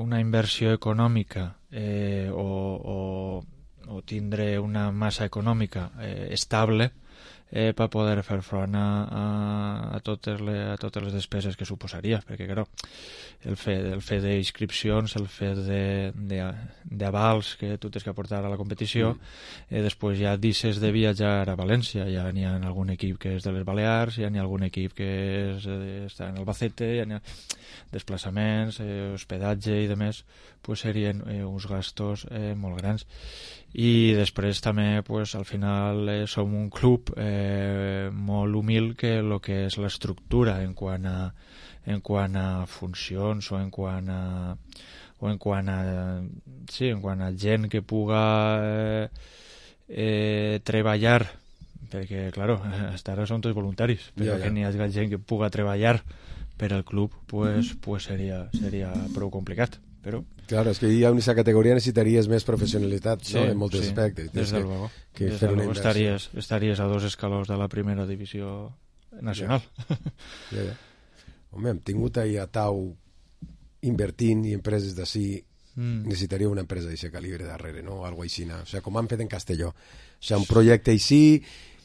una inversió econòmica eh, o, o, o tindre una massa econòmica eh, estable eh, per poder fer front a, a, a, totes les, a totes les despeses que suposaria, perquè clar, el fet, el fet d'inscripcions, el fet d'avals que tu tens que aportar a la competició, mm. eh, després ja deixes de viatjar a València, ja n'hi ha algun equip que és de les Balears, ja n'hi ha algun equip que és, eh, està en Albacete, ja n'hi ha desplaçaments, eh, hospedatge i demés, pues serien eh, uns gastos eh, molt grans. I després també pues, al final eh, som un club eh, molt humil que el que és l'estructura en quant a en quant a funcions o en quant a o en quant a sí, en quant a gent que puga eh, eh, treballar, perquè claro, hasta ara són tots voluntaris, però ja, ja. que n'hi hagi gent que puga treballar per al club, pues, mm-hmm. pues seria, seria prou complicat. però... Claro, es que hi ha una categoria necessitaries més professionalitat, sí, no?, en molts sí, aspectes. Des de luego. Que des fer de una luego estaries, estaries a dos escalons de la primera divisió nacional. Ja. Ja, ja. Home, hem tingut ahir a Tau invertint i empreses d'ací, mm. necessitaria una empresa d'aquest calibre darrere, no? O algo així, o sea, com han fet en Castelló. O sea, un projecte així...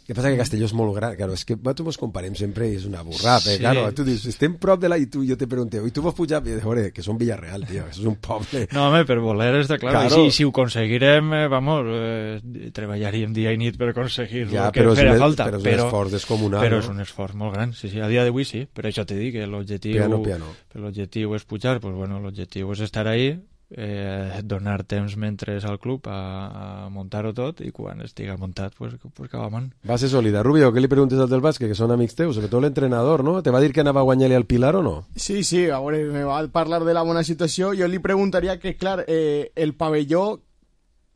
El que passa que Castelló és molt gran, claro, és que nosaltres ens comparem sempre i és una burrada, sí. Claro, tu dius, estem prop de la i tu, jo te pregunto, i tu vols pujar? I veure, que som Villarreal, tio, això és un poble. No, home, per voler està clar, claro. I si, si ho aconseguirem, eh, vamos, eh, treballaríem dia i nit per aconseguir ja, el que farà falta. Però és un però, esforç descomunal. Però no? és un esforç molt gran, sí, sí, a dia d'avui sí, per això te dic que l'objectiu piano, piano. l'objectiu és pujar, pues bueno, l'objectiu és estar ahí, eh, donar temps mentre al club a, a muntar-ho tot i quan estigui muntat pues, pues acabam. Va ser sòlida. Rubio, què li preguntes al del bàsquet, que són amics teus, sobretot l'entrenador, no? Te va dir que anava a guanyar-li al Pilar o no? Sí, sí, a veure, me va parlar de la bona situació. Jo li preguntaria que, clar, eh, el pavelló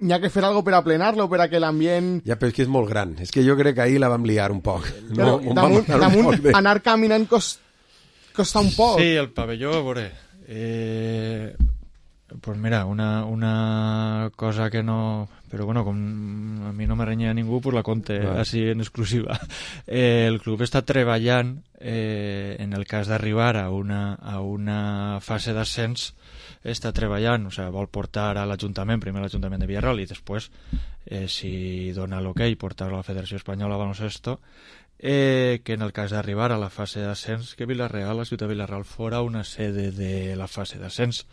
n'hi ha que fer algo per a plenar-lo, per a que l'ambient... Ja, però és que és molt gran. És que jo crec que ahir la vam liar un poc. Però no, damunt, damunt de... anar caminant cost, costa un poc. Sí, el pavelló, a veure... Eh... Pues mira, una, una cosa que no... Però bueno, com a mi no me renya ningú, pues la conte vale. Així en exclusiva. Eh, el club està treballant, eh, en el cas d'arribar a una, a una fase d'ascens, està treballant, o sigui, vol portar a l'Ajuntament, primer l'Ajuntament de Villarreal i després, eh, si dona l'ok, portar-lo a la Federació Espanyola de Baloncesto, eh, que en el cas d'arribar a la fase d'ascens, que Villarreal, la ciutat de Villarreal, fora una sede de la fase d'ascens.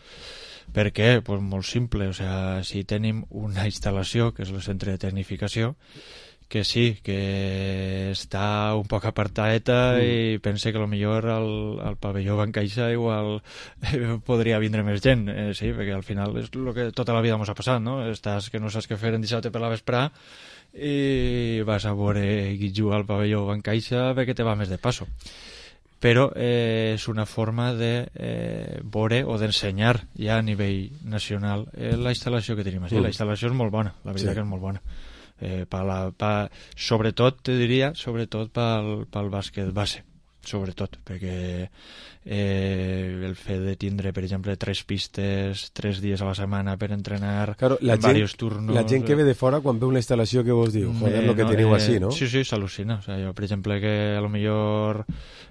Per què? Pues molt simple, o sea, si tenim una instal·lació, que és el centre de tecnificació, que sí, que està un poc apartadeta mm. i pense que potser al, al pavelló Ban Caixa igual eh, podria vindre més gent, eh, sí, perquè al final és el que tota la vida ens ha passat, no? Estàs que no saps què fer en dissabte per la vesprà i vas a veure qui juga al pavelló Ban Caixa perquè te va més de passo. Però eh, és una forma de eh, veure o d'ensenyar ja a nivell nacional eh, la instal·lació que tenim així. Mm. La instal·lació és molt bona, la veritat sí. que és molt bona. Eh, pa la, pa, sobretot, te diria, sobretot pel, pel bàsquet base, sobretot, perquè eh, el fet de tindre, per exemple, tres pistes, tres dies a la setmana per entrenar claro, la en gent, diversos turnos... La gent que ve de fora, quan veu una instal·lació, què vos diu? Joder, eh, lo que no, teniu eh, així, no? Sí, sí, s'al·lucina. O sigui, jo, per exemple, que a lo millor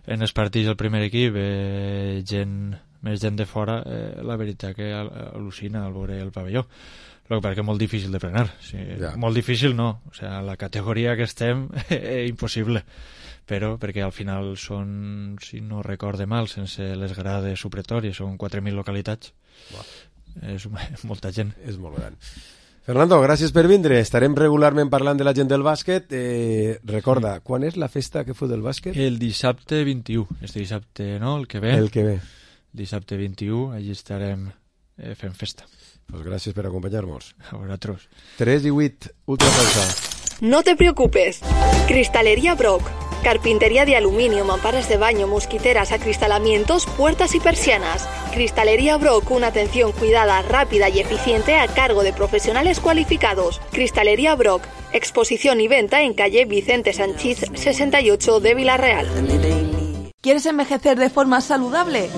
en els partits del primer equip eh, gent, més gent de fora, eh, la veritat que al·lucina al veure el pavelló. El que passa que és molt difícil de frenar. Sí, ja. Molt difícil no. O sigui, la categoria que estem és impossible. Però perquè al final són, si no recorde mal, sense les grades supletòries, són quatre mil localitats. Wow. És molta gent. És molt gran. Fernando, gràcies per vindre. Estarem regularment parlant de la gent del bàsquet. Eh, recorda, sí. Quan és la festa que feu del bàsquet? El dissabte vint-i-u. Este dissabte, no? El que ve. El que ve. Dissabte vint-i-u, allí estarem eh, fent festa. Pues gràcies per acompanyar-nos. A vosaltres. tres i vuit, ultrapausa. No te preocupes. Cristalería Brock. Carpintería de aluminio, mamparas de baño, mosquiteras, acristalamientos, puertas y persianas. Cristalería Brock, una atención cuidada, rápida y eficiente a cargo de profesionales cualificados. Cristalería Brock, exposición y venta en calle Vicente Sanchís sesenta y ocho de Villarreal. ¿Quieres envejecer de forma saludable?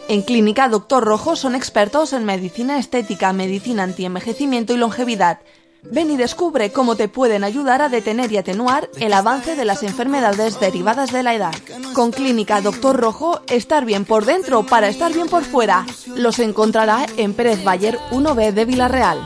En Clínica Doctor Rojo son expertos en medicina estética, medicina antienvejecimiento y longevidad. Ven y descubre cómo te pueden ayudar a detener y atenuar el avance de las enfermedades derivadas de la edad. Con Clínica Doctor Rojo, estar bien por dentro para estar bien por fuera. Los encontrará en Pérez Bayer uno B de Villarreal.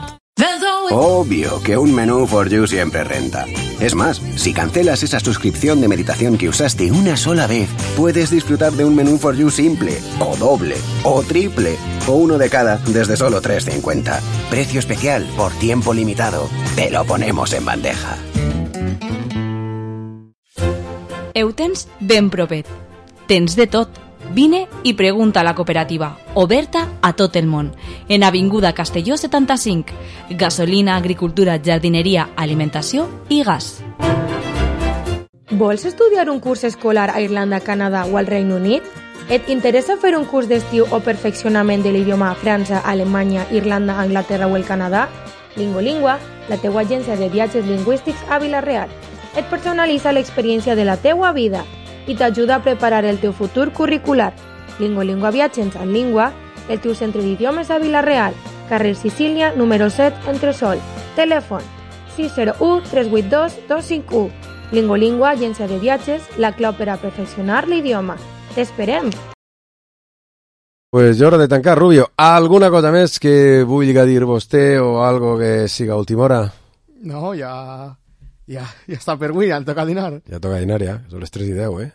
Obvio que un menú for you siempre renta. Es más, si cancelas esa suscripción de meditación que usaste una sola vez, puedes disfrutar de un menú for you simple, o doble, o triple, o uno de cada desde solo tres cincuenta. Precio especial por tiempo limitado. Te lo ponemos en bandeja. Eutens ben propet. Tens de tot. Vine i pregunta a la cooperativa, oberta a tot el món, en Avinguda Castelló setanta-cinc. Gasolina, agricultura, jardineria, alimentació i gas. Vols estudiar un curs escolar a Irlanda, Canadà o al Regne Unit? Et interessa fer un curs d'estiu o perfeccionament de l'idioma a França, Alemanya, Irlanda, Anglaterra o el Canadà? Lingolingua, la teua agència de viatges lingüístics a Vila-real. Et personalitza l'experiència de la teua vida i t'ajuda a preparar el teu futur curricular. Lingolingua Viatges en Lingua el teu centre d'idiomes a Vila-real, carrer Sicília, número set, Entresol. Telèfon sis zero u tres vuit dos dos cinc u. Lingolingua, agència de viatges, la clau per a perfeccionar l'idioma. T'esperem! Pues ja hora de tancar, Rubio. Alguna cosa més que vulgui dir vostè o algo que siga a última hora? No, ja... Ja, ja està per avui, ja toca dinar. Ja toca dinar, ja. Són les tres i deu, eh?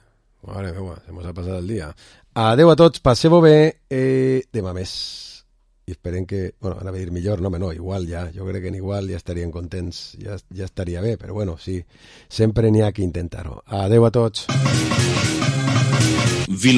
Mare meva, se mos ha passat el dia. Adeu a tots, passeu-ho bé, eh, demà més. I esperem que... Bueno, anava a dir millor, no, no, igual ja. Jo crec que en igual ja estarien contents, ja, ja estaria bé, però bueno, sí, sempre n'hi ha que intentar-ho. Adeu a tots. Vila